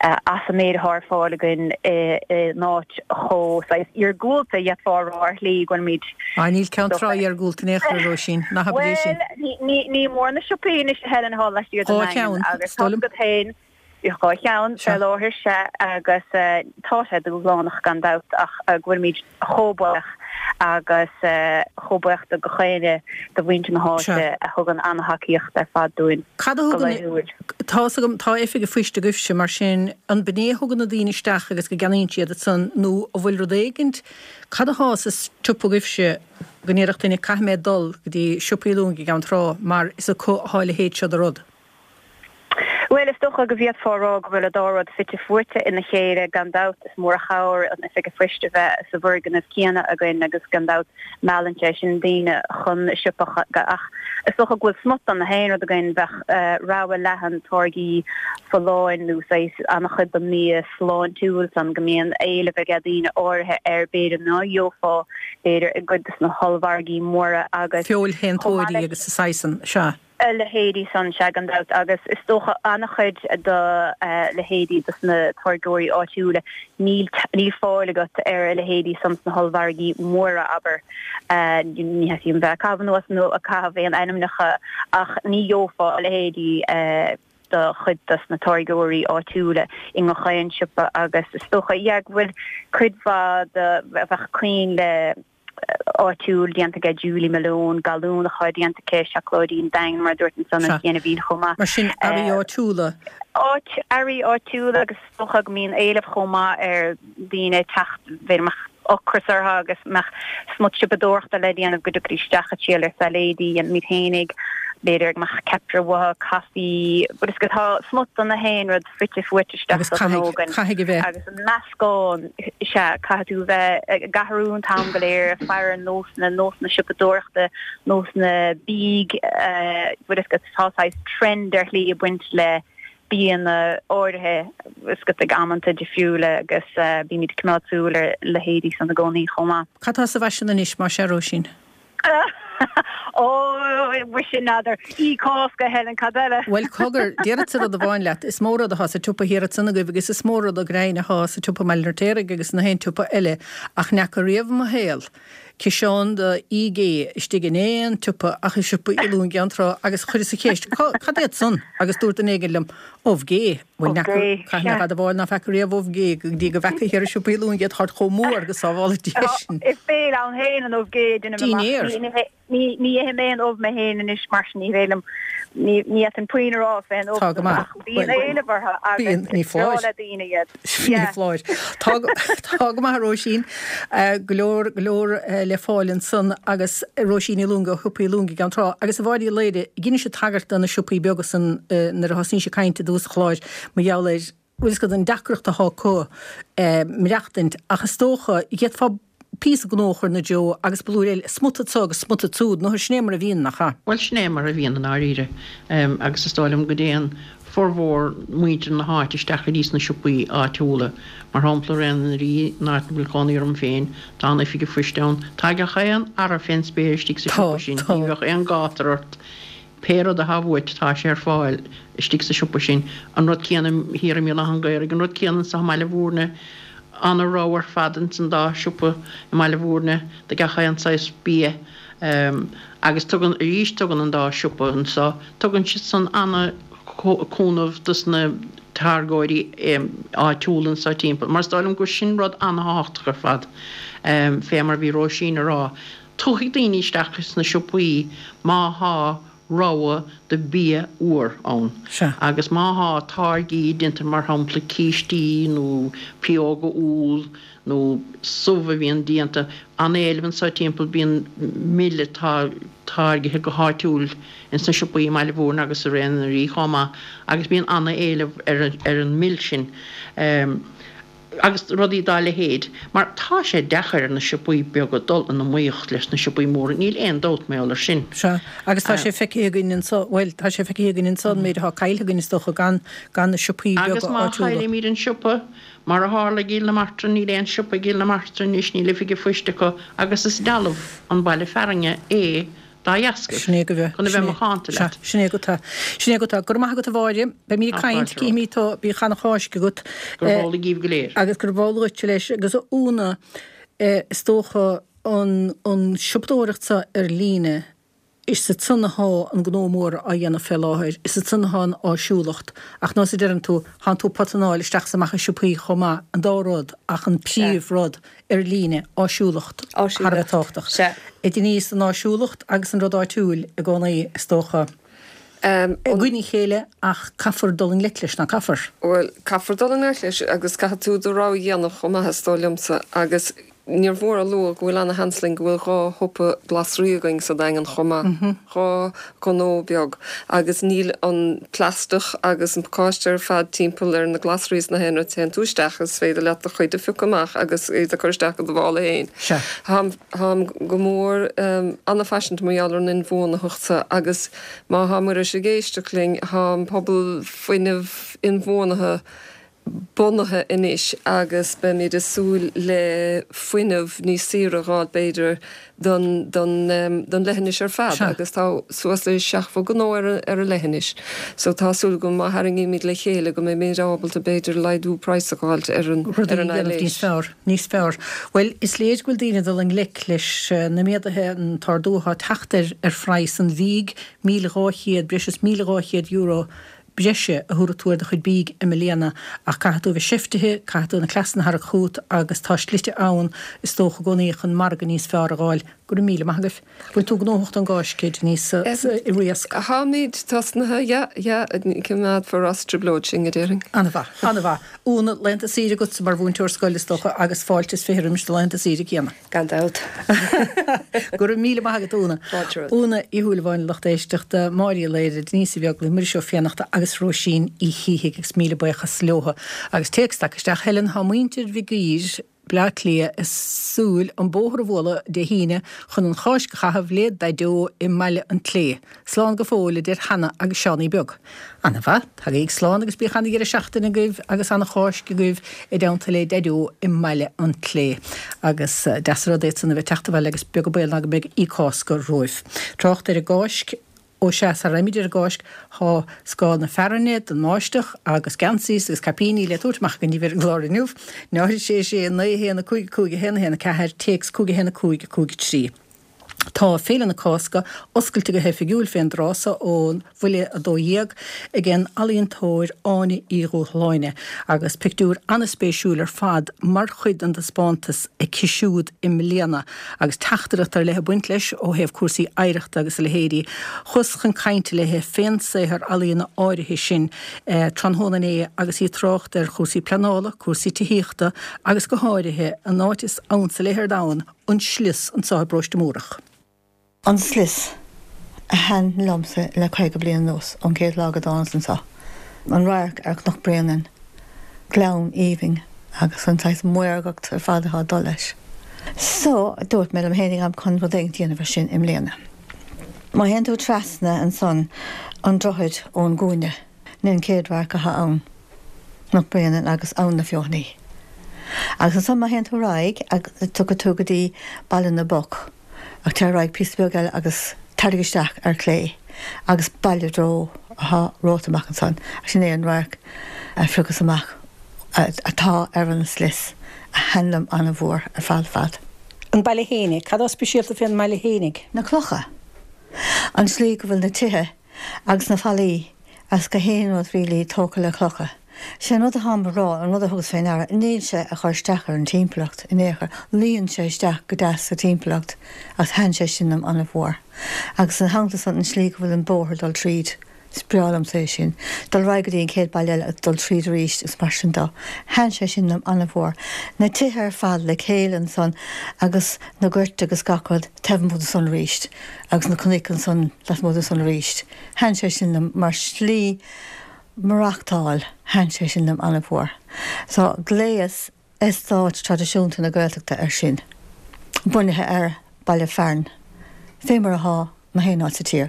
as an méid atá ar fáil againn in áit chomh saghas iargúlta, d'fhéadfá a rá ar shlí, go bhfuilimid. Á, níl Ceann Trá iargúlta in aon chor, a Róisín, ná habair é sin. Bhuel, ní mór na siopaí anois a Helen atá laistiar den Daingean agus tá agat féin dhá cheann fé láthair, sea, agus tá sé dúshlánach gan dabht ach go bhfuilimid chomh buíoch agus chomh buíoch do gach éinne de mhuintir na háite a thugann an-thacaíocht ar fad dúinn Cad a go thugann, laethúil. tá fhios agam, tá oifig an phoist agaibhse, mar sin, an b'in é a thugann na daoine isteach agus go gceannaíonn siad ansan nó an bhfuil rud éigint, cad atá sa tsiopa agaibhse go ndéarfadh duine caithfidh mé dul go dtí Siopa Uí Lúing i gCeann Trá mar is acu atá a leithéid seo de rud? Bhuel, is dócha go bhféadfá a rá go bhfuil an dá rud fite fuaite ina chéile. Gan dabht, is mór an chabhair an oifig an phoist a bheith sa bhfoirgneamh céanna againn agus gan dabht meallann sé sin daoine chun an siopa ach is dócha go bhfuil smut de nach aon rud againn. Bheadh rogha leathan táirgí folláin nó saghas an-chuid den mbia sláintiúil san go mbíonn éileamh aige daoine áirithe air b'fhéidir ná gheofá b'fhéidir i gcuid de na hollmhargaí móra agus Feoil chomh maith shéantóirí leis agus a saghas san, sea. a leithéidí san, sea, gan dabht, agus is dócha an-chuid de leithéidí dos na táirgeoirí áitiúla, níl níl fáil agat ar a leithéidí san sna hollmhargaí móra, abair. Ní theastaíonn bheith ag caitheamh anuas nó ag caitheamh aon ainmneacha ach ní gheofá a leithéidí de chuid dos na táirgeoirí áitiúla i ngach aon siopa agus is dócha, yeah, go bhfuil cuid mhaith de, bheadh coinnle áitiúil déanta aige Julie Malone, galún atá déanta aici, seacláidí an Daingin mar a dúirt ansan Sea. an chianaibhín chomh maith. Mar sin, earraí áitiúla. Áit, earraí áitiúla agus is dócha go mbíonn éileamh chomh maith ar daoine teacht, b'fhéidir mbeadh ocras orthu agus mbeadh smut siopadóireachta le déanamh go dtiocfaidís isteach ag triail ar sailéidí, dhéanfaimid fhéinig, b'fhéidir go mbeadh ceapaire uathu, caife, but is go tá smut de nach aon rud fite fuaite isteach Agus sa ghnó caithfidh, againn caithfidh a bheith. agus an meascán, sea, caithfidh tú a bheith ag athrú an t-am go léir, ag faire ar nósanna, nósanna siopadóireachta, nósanna bídh, bhfuil fhios agat, tá saghas trend ar shlí ag baint le bianna áirithe is go ag amanta difriúla agus bímid ag coimeád súil ar leithéidí san i gcónaí chomh maith. Cad tá sa bhfaisean anois mar sin, a Róisín? Ó, mhuise n'fheadar. Oíche Cásca, Helen, cad eile? Bhuel, cogar, déarfadsa rud amháin leat, is mó rud atá sa tsiopa thiar ansan agaibh agus is mó rud go deimhin atá sa tsiopa i mBaile an Fheirtéaraigh agus in aon tsiopa eile ach n'fheaca riamh i mo shaol ciseán de fhiaigh gé istigh in aon tsiopa ach i siopa Uí Lúing i gCeann Trá agus chuireas an cheist, Cad iad san? Agus dúirt duine éigin liom, Ubh gé. Bhuel, Ubh n'fheaca, gé, caithfidh mé sea. a admháil ná feaca riamh ubh gé go dtí go bhfeaca thiar i siopa Uí Lúing iad, táid chomh mór go sábhála Dia sinn. Is béile ann féin an ubh gé, deinim amach. Dinnéar. Ní, ní, ní, ní ithim aon ubh mé féin anois mar sin ní féidir liom, ní, ní fhéadfainn puinn a rá fén ubh Tá go maith. ach bíonn Bhuel, éileamh orthu agus bíonn, ní is breá foláir. le daoine iad. Ní Yeah. foláir. Tá go, tá go maith a Róisín. Go leor, go leor le fáil ansan agus Róisín Ní Lúing ó Shiopa Uí Lúing i gCeann Trá. Agus a Mháire Uí Laoire, dheinis tagairt do na siopaí beaga san nuair a thosnaís ag caint i dtús an chláir mar gheall ar, bhfuil fhios agat, an deacracht atá acu maireachtaint ach is dócha, d'fhéadfá píosa gnó a chur ina dtreo agus blúire eile, smut anso agus smut ansúd, nó sin é mar a bhíonn, nach ea? Bhuel, sin é mar a bhíonn i ndáiríre agus is dóigh liom go dtéann formhór muintir na háite isteach go dtí sna siopaí áitiúla. Mar shampla, Réan an Rí, an áit a bhfuil cónaí orm féin, tá an oifig an phoist ann. Tá gach aon earra fén spéir istigh sa Tá, siopa sin, tá. ní bheadh aon gátar ort. Pé rud atá uait, tá sé ar fáil istigh sa siopa sin. An rud céanna thiar i mBéal Átha an Ghaorthaidh, an rud céanna anso i mBaile Bhúirne. Ana-rogha ar fad ins an dá siopa i mBaile Bhúirne de gach aon saghas bia. Agus tugann, arís, tugann an dá siopa anso, tugann siad san ana-chúnamh dos na táirgeoirí áitiúla anso timpeall. Mar is dóigh liom gur sin rud ana-thábhachtach ar fad, fé mar a bhí Róisín a rá. Tiocfaidh daoine isteach sna siopaí má thá rogha de bia úr ann. Sea. Agus má thá táirgí déanta mar shampla cístí nó pióga úll nó subh a bhíonn déanta, an-éileamh anso timpeall, bíonn mil atá táirgithe go háitiúil ins na siopaí i mBaile Bhúirne agus i Réan an Rí chomh maith agus bíonn an-éileamh ar ar an mil sin. Agus rudaí dá leithéid. Mar tá sé deacair ar na siopaí beaga dul in iomaíocht leis na siopaí móra, níl aon dabht mar gheall air sin. Sea, agus tá sé feicthe againn anso, bhuel, tá sé feicthe againn anso an méid atá caillte againn is dócha gan, gan na siopaí Agus beaga má áitiúla. chaillimid an siopa, mar a tharla i gCill na Martra, níl aon siopa i gCill na Martra anois, níl oifig an phoist acu agus is dealbh an baile fearainne é dá dheascaibh, Sin é go bhfe, chun a sin bheith é, macánta sea, leat. sin é go tá, sin é go tá. Go raibh maith agat a Mháire, beimid ag Tá caint, fáilte romhat. cífimid tú, bíodh ana Cháisc agat. Gurb amhlaidh daoibh go léir. Agus gurb amhlaidh dhuitse leis agus a Úna, is dócha an, an siopadóireacht seo ar líne, is ansan athá an gnó mór á dhéanamh fé láthair, is ansan athá an áisiúlacht, ach nós a deireann tú, thánn tú potanáil isteach is amach i siopaí chomh maith, an dá rud, ach an Sea. príomh rud ar líne, áisiúlacht, thar a bheith Áisiúlacht. tábhachtach. Sea. A Denise, an áisiúlacht agus an rud áitiúil i gcónaí, is dócha, Um, i gcoinne a chéile ach caithfear dul i ngleic leis, ná caithfear? Bhuel, caithfear dul i ngleic leis agus caithfidh tú do rogha a dhéanamh chomh maith is dóigh liomsa agus níor mhór a lua go bhfuil ana-sheans linn go bhfuil dhá shiopa glasraí againn sa Daingean chomh maith, dhá ghnó beag agus níl an plaisteach agus an pacáiste ar fad timpeall ar na glasraí is na haon rud. Téann tú isteach is féidir leat do chuid a phiocadh amach agus iad a chur isteach i do mhála féin. Sea. Táim, táim go mór ana-phaiseanta mar gheall ar an inbhuanaitheacht sa agus má tá Muiris ag éisteacht linn, tá an pobal fuinnimh inbhuanaithe bunaithe anois agus beimid ag súil le fuinneamh níos saoire a dh'fháil b'fhéidir don, don, don leithinis ar fad Sea. agus tá suas le seachtó gnó ar, ar an leithinis. So tá súil agam má tharraingímid le chéile go mbeimid ábalta b'fhéidir laghdú praghas a dh'fháilt ar an, Rudaí ar an a dhéanamh aibhléis. níos fearr, níos fearr. Bhuel, is léir go bhfuil daoine ag dul i ngleic leis na méaduithe, an t-ardú atá ag teacht ar, ar phraghas an bhídh, míle dhá chéad, breis is míle dhá chéad euro breise a thabharfaidh tú ar do chuid bídh i mbliana ach caithfidh tú a bheith seiftithe, caithfidh tú na cleasanna a tharrac chugat agus tá slite ann is dócha i gcónaí chun margadh níos fearr a dh'fháil. Go raibh míle maith agaibh. Bhfuil tú gnóthach don gCáisc, Denise, i Riasc? Táimid tosnaithe, yeah, yeah, coimeádfar as trioblóid sinn, a déarfainn. An-mhaith, an-mhaith. Úna, laethanta saoire agatsa mar mhúinteoir scoile is dócha agus fáilte is fiche roimis do laethanta saoire céanna. Gan dabht. Go raibh míle maith agat, Úna. Fáilte romhat. Úna Uí Shúilleabháin, lucht éisteachta, Máire Uí Laoire, Denise Uí Bheaglaoich, Muiris Ó Fiannachta agus Róisín Uí Shíthigh agus míle buíochas leotha. Agus téacs tagtha isteach, Helen, tá muintir Mhig Uidhir, Bleá Cliath ag súil an bóthar a bhualadh Dé hAoine chun an Cháisc a chaitheamh le Daideo i mBaile an tSlé. Slán go fóill a deir Hannah agus Seánie Beag. Ana mhaith, tagaigí slán agus bíodh ana dheireadh seachtaine agaibh agus ana Cháisc agaibh i dteannta le Daideo i mBaile an tSlé. Agus deas an rud é san a bheith teacht abhaile agus beag an baol ná go mbeidh Oíche Cásca romhaibh. Trácht ar an gCáisc. Ó sea, sara raghaimid ar an gCáisc, tá scáth na fearthainne don mbáisteach agus geansaí agus caipíní le tabhairt amach againn daoibh ar an gclár inniu. Náid a sé sé naoi a haon a cúig a cúig a haon a haon a ceathair, téacs cúig a haon a cúig a cúig a trí. Tá Féile na Cásca oscailte go hoifigiúil fén dtráth so ó bhuille a dó dhéag ag an ealaíontóir Áine Uí Dhúshláine agus pictiúr an-spéisiúil ar fad mar chuid den taispeántas aici siúd i mbliana agus teachtaireacht ar leith ag baint leis ó thaobh cúrsaí oidhreachta agus a leithéidí. Chuas chun cainte léi fén saothar ealaíona áirithe sin tráthnóna inné agus í ag trácht ar chúrsaí pleanála, cúrsaí tithíochta agus go háirithe an áit is ansa léi ar domhan, an slios anseo i bParóiste Múrach. An slios a thaitin liomsa le caoga bliain anuas, ón chéad lá go dtánas anseo. An radharc ar Chnoc Bréanainn, gleann aoibhinn agus an saghas maorgacht ar fad atá ag dul leis. So, dúirt mé liom fhéinig táim chun rud éigin a dhéanamh ar sin i mbliana. Má théann tú trasna ansan an droichead ón gcúinne, sin an chéad radharc atá ann, Cnoc Bréanainn agus Abhainn na Feothanaí. Agus ansan má théann tú ar aghaidh agus tiocfaidh tú go dtí Baile na bPoc, ach téir ar aghaidh píosa beag eile agus tarraing isteach ar chlé agus Baile Dró atá romhat amach ansan. Sin é an radharc a phiocas amach atá ar an slios a thaitin liom an-mhór ar fad fad. An baile fhéinig. Cad atá speisialta fén mbaile fhéinig? Na clocha. An tslí go bhfuil na tithe agus na fallaí agus gach aon rud really tógtha le clocha. Sé an rud atáim a rá, an rud a thugas fé ndeara, níl sé a chur isteach ar an timpeallacht in aon chor, luíonn sé isteach go deas sa timpeallacht agus thaitin sé sin liom an-mhór. Agus ina theannta san an tslí go bhfuil an bóthar ag dul tríd, is breá liomsa é sin, dul ar aghaidh go dtí an chéad baile eile agus dul tríd arís agus mar sin dó. Thaitin sé sin liom an-mhór. Na tithe ar fad le chéile ansan agus na goirt agus gach rud taobh amuigh de san arís agus na cnoic ansan lasmuigh de san arís. Thaitin sé sin liom mar shlí maireachtáil, thaitin sé sin liom an-mhór. So, gléas eastát traidisiúnta na Gaeltachta air sin, bunaithe ar baile fearainn, fé mar athá i ngach aon áit sa tír,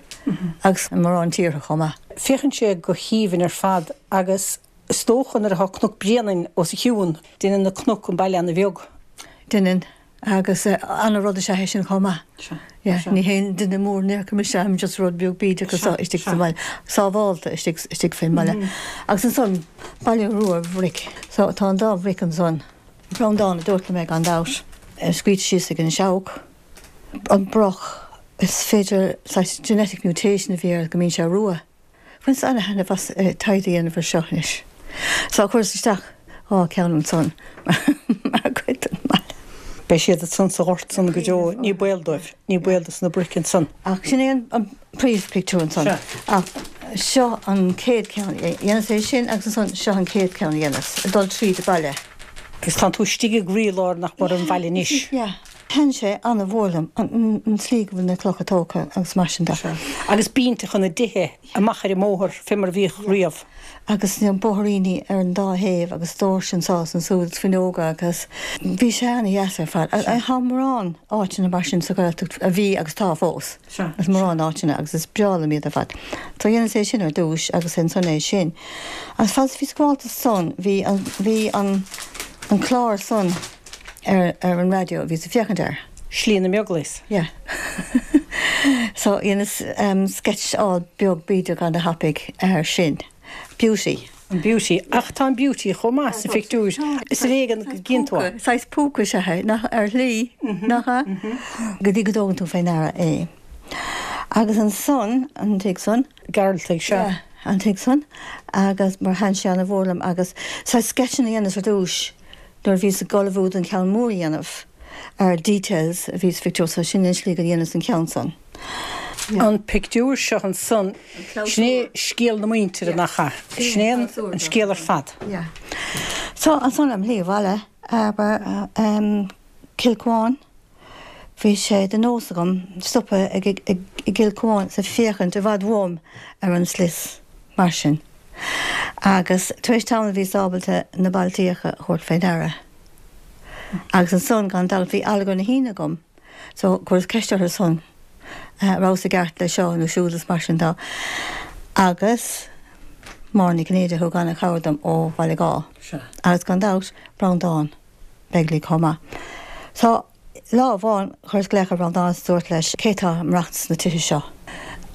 agus i mórán tíortha chomh maith. Féachann sé go haoibhinn ar fad agus is dócha nuair atá Cnoc Bréanainn os a chionn, déanann na cnoic an baile ana-bheag. Déanann. Agus ana-rud is ea é sin chomh maith. Sea. Yeah. Sea. Ní haon duine mór in aon chor mise, I'm just rud beag bídeach Sea. anseo istigh sa Sea. mbaile, sábhálta istigh, istigh fén mbaile. Agus ansan, Baile Rua Bhric. So tá an dá bhric ansan. Breandán a dúirt liom é gan dabht. Scríte síos ag an Seabhac. An broc, is féidir saghas genetic mutation a bhí air go mbíonn sé rua. Bhaineas ana-thaitneamh as taighde a dhéanamh ar seo anois. So chuireas isteach dhá ceann ansan mar chuid den mbaile. Beidh siad ansan sa ghort san go deo, ní baol dóibh, ní baol dos na bric ansan. Ach sin é an príomhphictiúr ansan. Sea. Ach seo an chéad ceann a dhéanas é sin agus ansan seo an chéad ceann a dhéanas, ag dul tríd an baile. Agus tánn tú istigh i gcroílár nach mór an bhaile anois. Yeah. Thaitin sé ana-mhór liom an tslí go bhfuil na clocha tógtha agus mar sin de. Sea. Agus bínteacha na dtithe amach ar an mbóthar fé mar a bhíodh riamh. Agus na bóithríní ar an dá thaobh agus doirse anseo is ansúd agus fuinneoga agus bhí sé ana-dheas ar fad. Tá mórán áiteanna mar sin sa Ghaeltacht a bhí agus tá fós. Sea. Agus mórán áiteanna agus is breá liom iad ar fad. So dhéanas é sin ar dtúis agus ansan é sin. Agus fad is bhíos ag gabháil do san bhí an, bhí an, an clár san, ar ar an raidió a bhíos ag féachaint air. Slí na mBeaglaoich. Yeah. So dhéanas sceitseáil beag bídeach ana-thapaidh air sin. Beauty. An Beauty. Ach tá an Beauty chomh maith sa phictiúr. Is ar éigean go gcíonn tú é. Saghas púca is ea é, nach ar shlí, nach ea? Go dtí go dtógann tú fé ndeara é. Agus ansan, an tigh san. Gearaltaigh, sea. Yeah, an tigh san. Agus mar thaitin sé ana-mhór liom agus saghas sceitseanna a dhéanas ar dtúis. Nuair a bhíos ag ullmhú don cheann mór a dhéanamh ar details a bhí sa phictiúr so sin an slí go dhéanas an ceann san. An pictiúr seo ansan, sin é scéal na muintire, nach ea? Sin é an scéal ar fad. Yeah. So ansan am shlí abhaile, abair, Cill Cuáin, bhí sé de nós agam stopadh ag i gCill Cuáin is ag féachaint i bhfad uaim ar an slios mar sin. Agus tar éis tamaill bhíos ábalta na bailtíocha a thabhairt fé ndeara. Agus ansan gan dabht bhí allagar na hAoine agam so chuireas ceist orthu san rabhas i gceart le seo nó siúd is mar sin de. Agus Máire Ní Chinnéide a thug ana-chabhair dom ó Bhaile Gáth. Agus gan dabht Breandán Begley chomh maith. So lá amháin chuireas glaoch ar Bhreandán is dúirt leis cé tá ag maireachtaint sna tithe seo.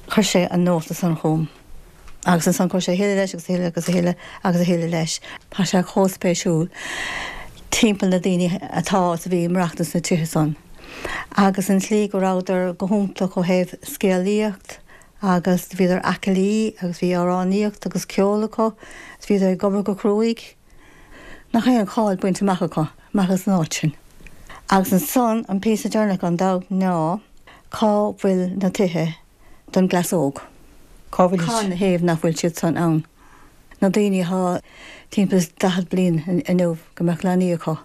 Chuir sé an nóta san chugam. Agus ansan chuir sé a thuilleadh leis agus a thuilleadh agus a thuilleadh agus a thuilleadh leis. Tá sé chomh spéisiúil timpeall na daoine atá is a bhí ag maireachtaint sna tithe san. Agus an tslí go rabhadar go hiontach ó thaobh scéalaíocht agus bhíodar aclaí agus bhí amhránaíocht agus ceol acu is bhíodar ag obair go cruaidh. Nach é an cháil bainte amach acu, amach as an áit sin. Agus ansan an píosa deireanach gan dabht ná cá bhfuil na tithe don gcleas óg? Cá bhfuil Cá na thaobh nach bhfuil siad san ann? Na daoine atá timpeall is daichead bliain inniu go mbeadh leanaí acu.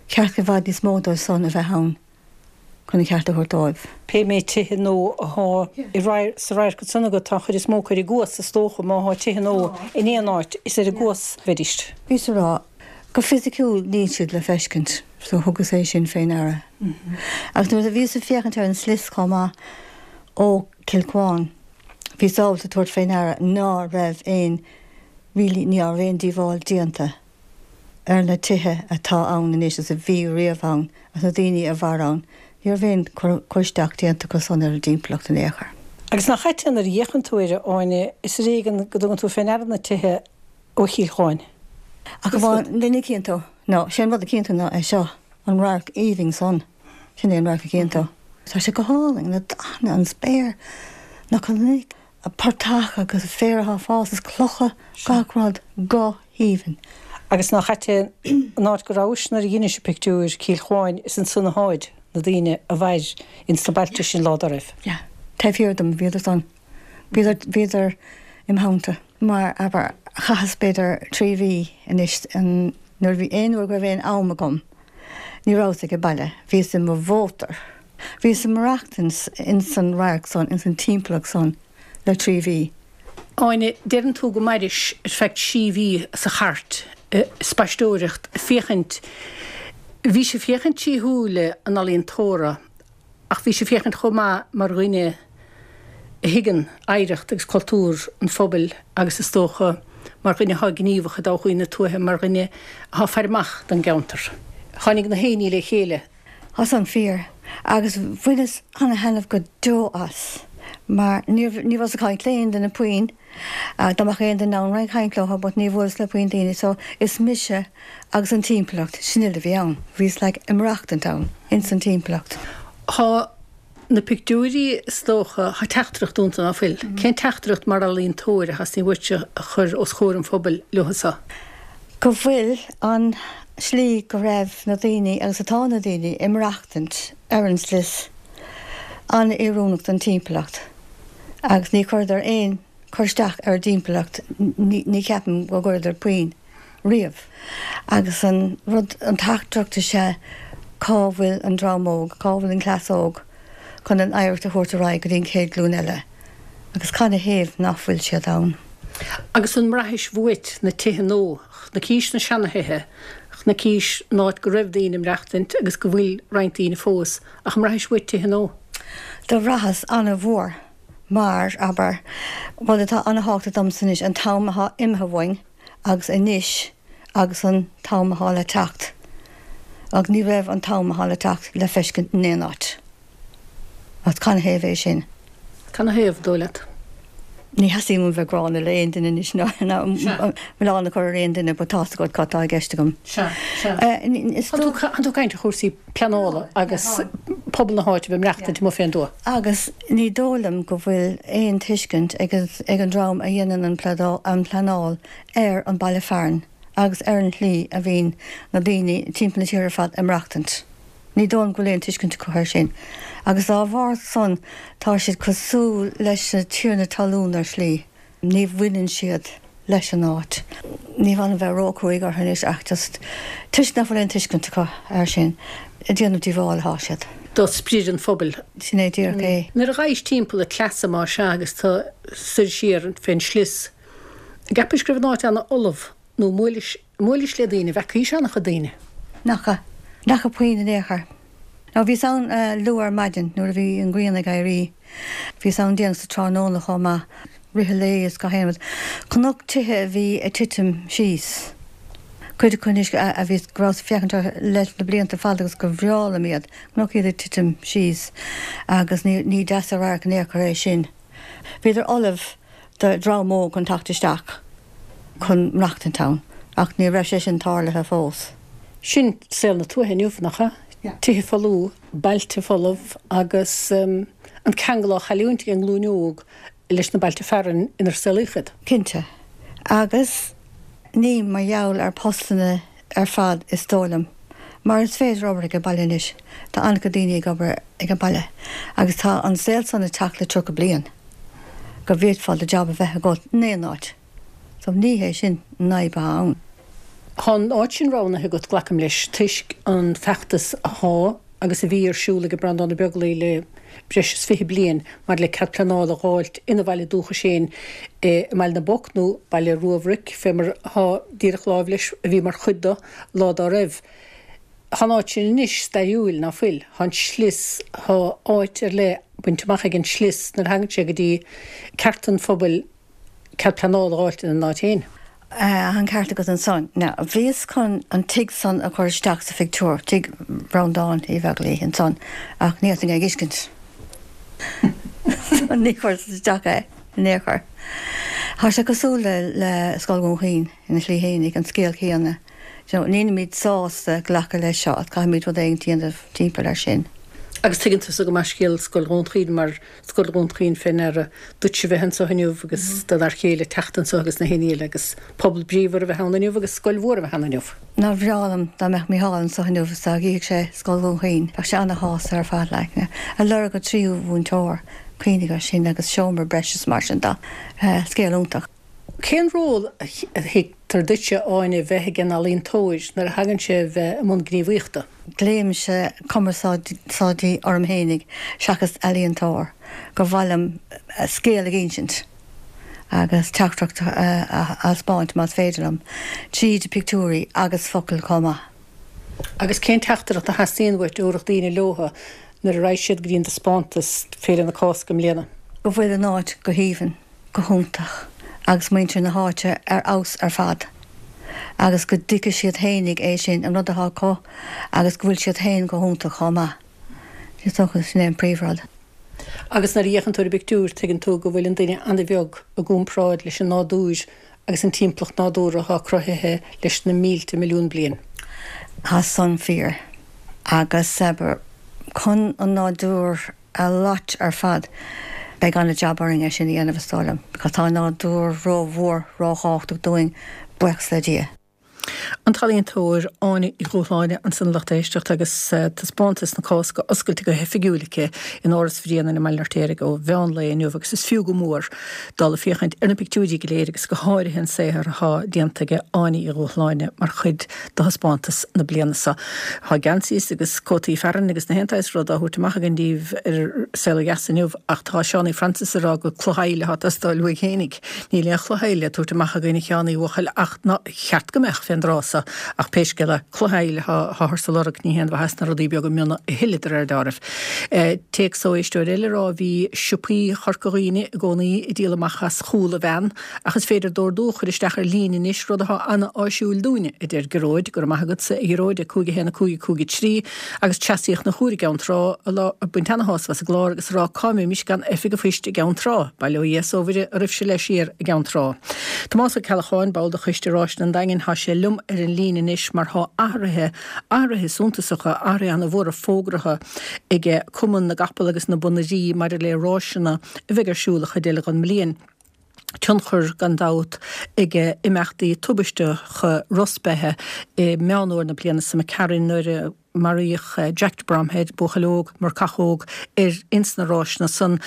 Cheart i bhfad níos mó dóibh san a bheith ann chun an ceart a thabhairt dóibh. Pé méid tithe nua atá i sa radharc ansan agat, tá an chuid is mó acu ar an gcuas, is dócha, má thá tithe nua in aon áit, is ar an gcuas a bheidís. Bhíos a rá, go fisiciúil níl siad le feiscint, so thugas é sin fé ndeara. Agus nuair a bhíos ag féachaint ar an slios chomh maith ó Cill Cuáin, bhíos ábalta tabhairt fé ndeara ná raibh aon, really, ní raibh aon díobháil déanta ar na tithe atá ann anois is a bhí riamh ann agus na daoine a mhair ann, ní raibh aon cur isteach déanta acu san ar an dtimpeallacht in aon chor. Agus nach ait é nuair a fhéachann tú air, a Áine, is ar éigean go dtugann tú fé ndeara na tithe ó Chill Chuáin. Ach amháin duine a chíonn tú, nó sé an rud a chíonn tú ná é seo, an radharc aoibhinn san, sin é an radharc a chíonn tú. Tá sé go hálainn, na dathanna, an spéir, na cnoic, an portach agus an féar atá ag fás is clocha, gach rud go haoibhinn. Agus nach ait é an áit go rabhais nuair a dheinis an pictiúr, Cill Chuáin, is ansan atháid na daoine a mhair ins na bailte sin lá dá raibh. Yeah. Taobh thiar dom, bhíodar san. Bhíodar, bhíodar im theannta. Mar, abair, chaitheas b'fhéidir trí mhí anois an, nuair a bhí, aon uair go raibh aon am agam, ní rabhas ag baile, bhíos i mo mhótar. Bhíos ag maireachtaint ins an radharc san, ins an timpeallacht san le trí mhí. Áine, deireann tú go mairis ar feadh trí mhí sa chairt, ag spaisteoireacht, ag féachaint, bhís ag féachaint trí shúile an ealaíontóra ach bhís ag féachaint chomh maith mar dhuine a thuigeann oidhreacht agus cultúr an phobail agus is dócha mar dhuine atá gníomhach i dtodhchaí na tuaithe, mar dhuine atá ag faire amach don gceantar. Tháinig na haon ní le chéile. Tá san fíor agus bhaineas ana-thaitneamh go deo as mar ní ní rabhas ag caint le aon duine puinn, dá mbeadh aon duine ann ag caint leo but ní bhuaileas le puinn daoine so is mise agus an timpeallacht, sin uile a bhí ann. Bhíos like ag maireachtaint ann, ins an timpeallacht. Tá na pictiúirí is dócha, tá teachtaireacht iontu ná fuil? Cén teachtaireacht mar ealaíontóir a theastaíonn uaitse a chur os comhair an phobail leo seo? Go bhfuil an slí go raibh na daoine agus atá na daoine ag maireachtaint ar an slios an-oiriúnach don timpeallacht agus ní chuireadar aon cur isteach ar an dtimpeallacht, ní cheapaim go gcuireadar puinn riamh. Agus an rud, an teachtaireacht is ea cá bhfuil an dream óg, cá bhfuil an cleas óg chun an oidhreacht a thabhairt ar aghaidh go dtí an chéad ghlúin eile agus cad 'na thaobh nach bhfuil siad ann? Agus an mbraithis uait na tithe nua, chnaicís na seanathithe, chnaicís an áit go raibh daoine ag maireachtaint agus go bhfuil roinnt daoine fós, ach an mbraithis uait tithe nua? Do bhraitheas ana-mhór mar, abair, rud atá ana-thábhachtach domsa anois, an t-am atá imithe uainn agus anois agus an t-am atá le teacht. Agus ní raibh an t-am atá le teacht le feiscint in aon áit. Agus cad 'na thaobh é sin? Cad 'na thaobh, dóigh leat? Ní theastaíonn uaim bheith gránna le aon duine anois ná milleán a chur ar aon duine but tá's agat cad tá i gceist agam. Sea, sea. Tá tú ag caint ar chúrsaí pleanála agus pobal na háite a bheith ag maireachtaint amuigh fén dtuath. Agus ní dóigh liom go bhfuil aon tuiscint ag an dream a dhéanann an pleanáil ar an baile fearainn agus ar an tslí a bhíonn na daoine timpeall na tíre ar fad ag maireachtaint. Ní dóigh liom go bhfuil aon tuiscint acu air sin agus dá bharr san tá siad cosúil leis na tiarnaí talún ar shlí, ní bhaineann siad leis an áit. Ní mhaith liom bheith róchruaidh orthu anois ach just toisc nach bhfuil aon tuiscint acu air sin, ag déanamh díobháil atá siad. Do sprid an phobail. Sin é díreach é. Nuair a ghabhais timpeall an tsleasa má sea agus tú soir siar fén slios, an gceapais go raibh an áit ana-fholamh nó bhuailis, bhuailis le daoine, bhfeacaís ana-chuid daoine? Nach ea. Nach raibh puinn in aon chor. Now bhíos ann luath ar maidin nuair a bhí an ghrian ag éirí. Bhíos ann déanach sa tráthnóna chomh maith, rith an lae is gach aon rud. Chonac tithe a bhí ag titim síos. Cuid acu anois a bhíos, go rabhas ag féachaint orthu leis na blianta fada agus gur bhreá liom iad, chonac iad ag titim síos agus ní, ní deas an radharc in aon chor é sin. Bhíodar ullamh do dhream óg chun teacht isteach chun maireachtaint ann ach ní raibh sé sin tarlaithe fós. Sin saol na tuaithe inniu, nach ea? Tithe folamh, bailte folamh agus an ceangal á chailliúint ag an nglúin óg leis na bailte fearainn inar saolaíodh iad. Cinnte. Agus ní mar gheall ar postanna ar fad is dóigh liom. Mar is féidir obair ag an baile anois. Tá an-chuid daoine ag obair ag an baile. Agus tá an saol san ag teacht le tríocha bliain go bhféadfá do jab a bheith agat in aon áit. So ní hé sin an fhadhb atá ann. Tá an áit sin roghnaithe agat, glacaim leis, toisc an feachtas athá agus a bhí ar siúl ag Breandán Ó Beaglaoi le breis is fiche bliain maidir le cead pleanála a dh'fháilt ina bhaile dúchais féin i mBaile na bPoc, nó Baile Rua Bhruic, fé mar athá díreach láimh leis, a bhí mar chuid do, lá dá raibh. Thá an áit sin anois stairiúil, ná fuil? Thá an slios, thá áit ar leith bainte amach ag an slios nuair a thagann sé go dtí cearta an phobail cead pleanála a dh'fháilt ina n-áit féin. Tá an ceart agat ansan. Now, bhíos chun an tigh san a chur isteach sa phictiúr, tigh Bhreandáin Uí Bheaglaoi ansan, ach ní fhéadfainn é a dh'fheiscint. So ní chuireas isteach é in aon chor. Tá sé cosúil le le Scoil Dhún Chaoin ina shlí fhéinig, an scéal céanna. Do you know, nílimid sásta glacadh leis seo, caithfimid rud éigin a dhéanamh timpeall air sin. Agus tuigeann tusa go maith scéal Scoil Dhún Chaoin mar Scoil Dhún Chaoin fé ndeara duitse bheith anso inniu agus do d'fhear chéile teacht anso agus na héinní eile agus pobal bríomhar a bheith ann inniu agus scoil mhór a bheith ann inniu. Nár bhreá liom dá mbeadh Mícheál anso inniu is dá gcífeadh sé Scoil Dhún Chaoin. Bheadh sé ana-shásta ar fad like. Ag lorg an tríú mhúinteoir, cuimhnigh air sin agus seomra breise is mar sin de. Scéal iontach. Cén ról a thuigtear duitse, Áine, bheith ag an ealaíontóir nuair a thagann sé a bheith i mbun gníomhaíochta? Glaoimse cumarsáidí orm fhéinig seachas ealaíontóir, gur mhaith liom scéal a dh'insint agus teachtaireacht a thaispeáint más féidir liom, tríd pictiúirí agus focail chomh maith. Agus cén teachtaireacht a theastaíonn uait a thabharfadh daoine leotha nuair a raghaidh siad go dtí an dtaispeántas Féile na Cásca i mbliana? Go bhfuil an áit go haoibhinn. go hiontach agus muintir na háite ar fheabhas ar fad agus go dtuigfidh siad fhéinig é sin, an rud atá acu agus go bhfuil siad féin go hiontach chomh maith. Is dócha sin é an príomhrud. Agus nuair a fhéachann tú ar an bpictiúr tuigeann tú go bhfuil an duine an-bheag i gcomparáid leis an nádúr agus an timpeallacht nádúrtha atá cruthaithe leis na mílte milliún bliain. Tá san fíor. Agus, abair, chun an nádúr a loit ar fad. Beidh an-jab orainn é sin a dhéanamh is dóigh liom, because tá an nádúr ró-mhór, ró-thábhachtach dúinn, buíochas le Dia. An t-ealaíontóir Áine Uí Dhúshláine ansan a lucht éisteachta agus taispeántas na Cásca oscailte go hoifigiúil aici in Áras Bhréanainn i mBaile an Fheirtéaraigh ó mheán lae inniu agus is fiú go mór dul ag féachaint ar na pictiúirí go léir agus go háirithe an saothar atá déanta aige Áine Uí Dhúshláine mar chuid de thaispeántas na bliana seo. Tá geansaí agus cótaí fearainn agus na haon tsaghas rud á thabhairt amach againn daoibh ar Saol Ó Dheas inniu ach tá Seánie Francis ag rá gur cloch aille atá ag teastáil uaidh fhéinig. Níl aon chloch aille le tabhairt amach againn a Sheánie a bhuachaill ach nár cheart go mbeadh fén dtráth so ach pé scéal é, cloch aille atáthar ag lorg, ní haon mhaitheas na rudaí beaga miona a thuilleadh de réir dealraimh. Téacs ó éisteoir eile ag rá bhí siopaí Chorca Dhuibhne i gcónaí ag díol amach as chúl an veain Ach is féidir d'ordú a chur isteach ar líne anois, rud atá an-áisiúil dúinne, a deir Gearóid. Go raibh maith agatsa, a Ghearóid, a cúig a haon a cúig a cúig a trí, agus Treasaíocht na hUair i gCeann Trá, ag baint ana-shásamh as an gclár agus ag rá cá mbeimis gan Oifig an Phoist i gCeann Trá. Bail ó Dhia 's ó Mhuire oraibhse le siar i gCeann Trá. Tomás Ó Ceallacháin, ball de Choiste Ráiseanna an Daingin, thá sé liom ar an líne anois mar thá athruithe, athruithe suntasacha, athruithe ana-mhóra fógraithe aige Cumann na gCapall agus na bPonairí maidir le ráiseanna a bheidh ar siúl an chuid eile den mbliain. Tionchar, gan dabht, ag imeachtaí tubaisteacha Ros Beithe i Meán Fhómhair na bliana seo imigh tharainn nuair a maraíodh Jack de Bromhead, buachaill óg, marcach óg, ar ins na ráiseanna san.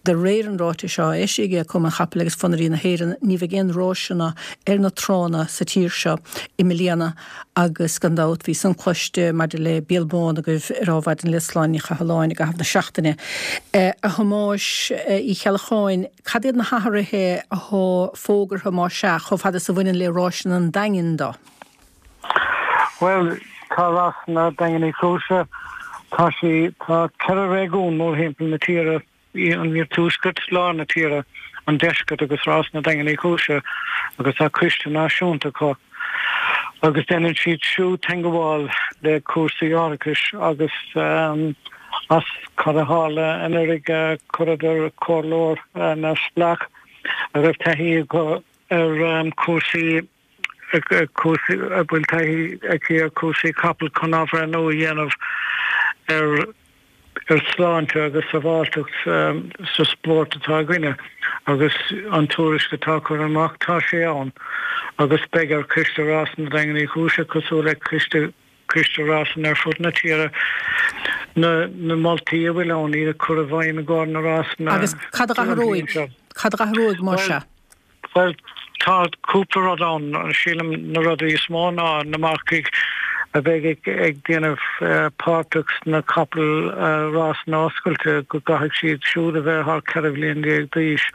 De réir an ráitis seo a eisigh ag Cumann Chapaill agus Phonairí na hÉireann, ní bheidh aon ráiseanna ar na tránna sa tír seo i mbliana agus gan dabht bhí san cloiste maidir le Béal Bán agaibh ar Adhmhaidin le Sláine Ní Chathalláin i gcaitheamh na seachtaine. A Thomáis Uí Cheallacháin, Cad iad na hathruithe athá fógartha, más ea, chomh fada is a bhaineann le ráiseanna an Daingin do? Bhuel, Tá Rásanna Daingean Uí Chúise, tá sí, tá ceithre réigiún mórthimpeall na tíre, an Iarthuaisceart, lár na tíre, an Deisceart agus Rásanna Daingean Uí Chúise agus tá coiste náisiúnta acu agus déanann siad siúd teangmháil le cúrsaí árachais agus as cad a tharla anuraidh chuireadar comhairleoir neamhspleách a raibh taithí acu ar chúrsaí cúrsaí a bhfuil taithí aici ar chúrsaí capall chun athbhreithniú a dhéanamh ar ar shláinte agus sábháilteacht sa spórt atá againne agus an tuairisc atá curtha amach, tá sé ann agus beidh ar Choiste Rásanna Daingean Uí Chúise, cosúil le coiste coiste rásanna ar fud na tíre, na na moltaí a bhfuil ann, iad a chur i bhfeidhm i gcomhair na rásanna Agus cad a athróidh? Cad a athróidh mar sea? Bhuel, tá cúpla rud ann. Sílim na rudaí is mó ná na marcaigh a bheidh ag déanamh páirteach sna capaill rásanna oscailte go gcaithfidh siad siúd a bheith thar ceithre bhliain déag d'aois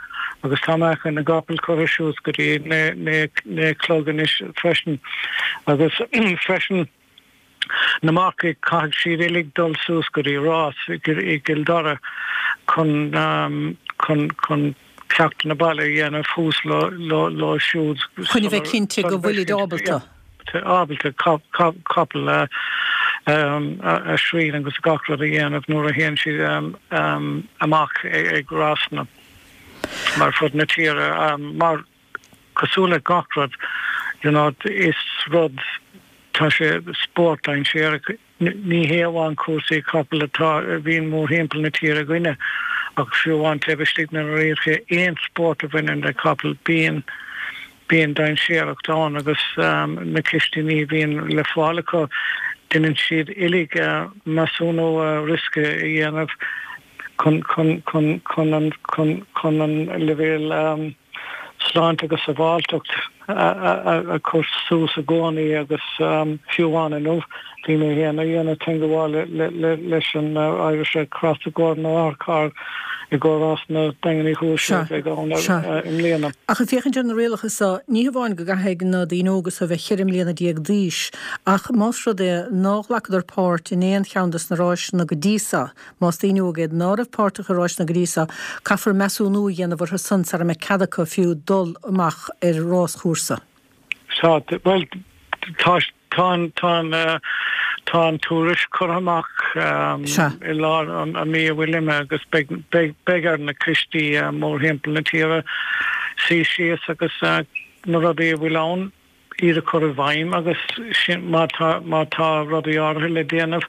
agus tá meáchan na gcapall curtha suas go dtí naoi a chlog anois freisin agus freisin Na marcaigh, caithfidh siad uilig dul suas go dtí rás i gCill Dara chun chun chun ceachtanna baile a dhéanamh thuas leo siúd Chun a bheith cinnte go bhfuilid ábalta. ábalta capall a a srian agus gach rud a dhéanamh nuair a théann siad amach ag rásanna ar fud na tíre mar cosúil le gach rud you know is rud Tá sé spórt dainséarach. Ní hé amháin cúrsaí capall atá a bhíonn mórthimpeall na tíre againne ach fiú amháin taobh istigh na ríochta aon spórt a bhaineann le capall bíonn bíonn dainséaracht ann agus na cistíní a bhíonn le fáil acu déanann siad uilig measúnú riosca a dhéanamh chun chun chun chun an chun chun an leibhéal sláinte agus sábháilteacht a chur suas i gcónaí agus fiú amháin inniu bhí mé féin ag déanamh teangmháil leis an Irish Red Cross i gcomhair na n-otharcharr i gcomhair Rásanna Daingean Uí Chúis a bheidh ann i mbliana. Ach ag féachaint ar na rialacha seo, ní hamháin go gcaithfidh na daoine óga seo a bheith ceithre mbliana déag d'aois, ach más rud é nár ghlacadar páirt in aon cheann de na ráiseanna go dtí seo, Más daoine óga iad ná raibh páirteach i ráiseanna go dtí seo, caithfear measúnú a dhéanamh orthu san sara mbeidh cead acu fiú dul amach ar ráschúrsa. Sea, bhuel, tá, tá an, tá an, tá an tuairisc curtha amach i lár an mhí a bhfuil imithe agus beidh, beidh, beidh ar na coistí mórthimpeall na tíre suí síos agus na rudaí a bhfuil ann, iad a chur i bhfeidhm agus sin, má tá, má tá rudaí áirithe le déanamh,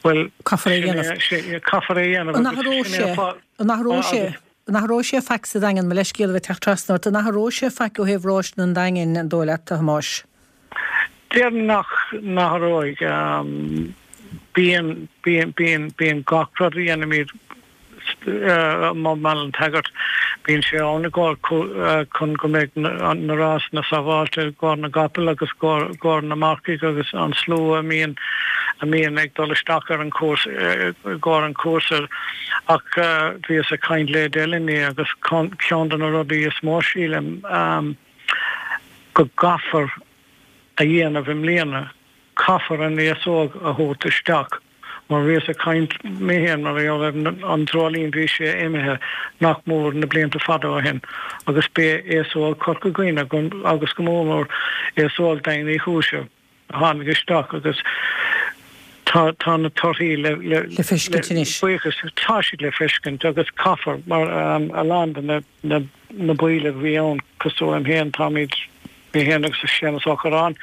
bhuel, Caithfear é a dhéanamh. sin é, caithfear é a dhéanamh An agus athróidh sin é sé, an fáth, an athróidh sé, agus. an athróidh sé faic sa Daingean, mo leithscéal a bheith ag teacht trasna ort, an athróidh sé faic ó thaobh ráiseanna an Daingin, an dóigh leat, a Thomáis? Déarfainn nach n-athróidh. Bíonn, bíonn, bíonn, bíonn gach rud a dhéanaimid, i mBaile an tSagairt. Bíonn sé ann i gcomhair chun go mbeidh na rásanna sábháilte i gcomhair na gcapall agus i gcomhair na marcaigh agus an slua a mbíonn a mbíonn ag dul isteach ar an chúrsa i gcomhair an chúrsa. Ach bhíos ag caint le Edel inné agus ceann de na rudaí is mó sílim go gcaithfear a dhéanamh i mbliana, caithfear an aos óg a thabhairt isteach. Mar bhíos ag caint mé féin mar gheall ar an Dreoilín bhí sé imithe nach mór na blianta fada ó shin agus b'é aos óg Chorca Dhuibhne agus go mór mór aos óg Daingean Uí Chúise a tháinig isteach agus tá tá na torthaí le le Le feiscint anois. buíochas tá siad le feiscint agus caithfear mar a lán de na na na baill a bhí ann cosúil liom féin táimid Mé féin agus Séamus Ó Curráin,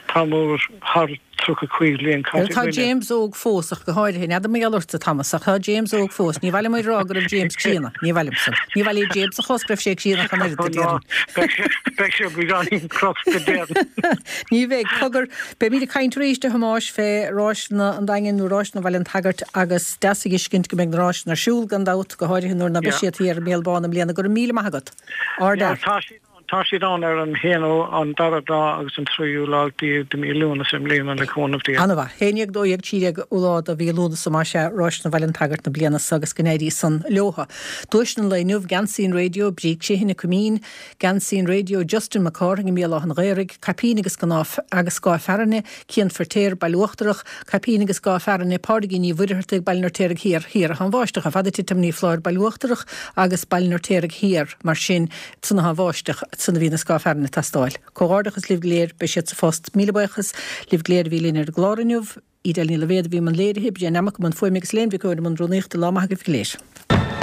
tá mór thar tríocha cúig bhliain caite Tá againne. James óg fós ach go háirithe. N'fheadar mar gheall ortsa, Thomas, ach tá James óg fós. Ní mhaith liom a rá go raibh James críonna. Ní mhaith liom san. Ní mhaith le James a chlos go raibh sé críonna ach an oiread, a Ó ná, déarfainn. beidh sé, beidh sé beagáinín crosta déarfainn. Ní bheidh. Cogar, beimid ag caint arís a Thomáis fé ráiseanna an Daingin nó ráiseanna Bhaile an tSagairt agus deas a fheiscint go mbeidh na ráiseanna ar siúl gan dabht, go háirithe nuair ná beidh Yeah. siad thiar i mBéal Bán i mbliana. Go raibh míle maith agat. Yeah, Ardfhear. tá siad ann. Tá siad ann ar an haonú, an dara lá agus an tríú lá déag de mí Lúnasa i mbliana le cúnamh Dé. Ana-mhaith. Haon dhéag, dó dhéag, trí déag lá de mhí Lúnasa más ea, Ráiseanna Bhaile an tSagairt na bliana so agus go n-éirí san leotha. Duaiseanna an lae inniu, Geansaí an Raidió, Bríd Criomhthain, Coimín, Geansaí an Raidió, Justin Mac Cárthaigh i mBéal Átha an Ghaorthaidh, Caipín agus Snáth agus Scáth Fearthainne, Cian Feirtéar, Baile Uachtarach, Caipín agus Scáth Fearthainne, Pádraigín Ní Mhuircheartaigh, Baile an Fheirtéaraigh Thiar, Thiar atá an bháisteach chomh fada titim Ní Phláir, Baile Uachtarach agus Baile an Fheirtéaraigh Thiar, mar sin, ansan atá an bháisteach, ansan a bhí na scáth fearthainne ag teastáil. Comhghairdeachas libh go léir, beidh siad sa phost. Míle buíochas libh go léir a bhí linn ar an gclár inniu. Edel Ní Loibhéad a bhí i mbun léirithe, Brian Lammock i mbun fuaime agus Elaine Mhic Eoin i mbun rúnaíochta. Lá maith agaibh go léir.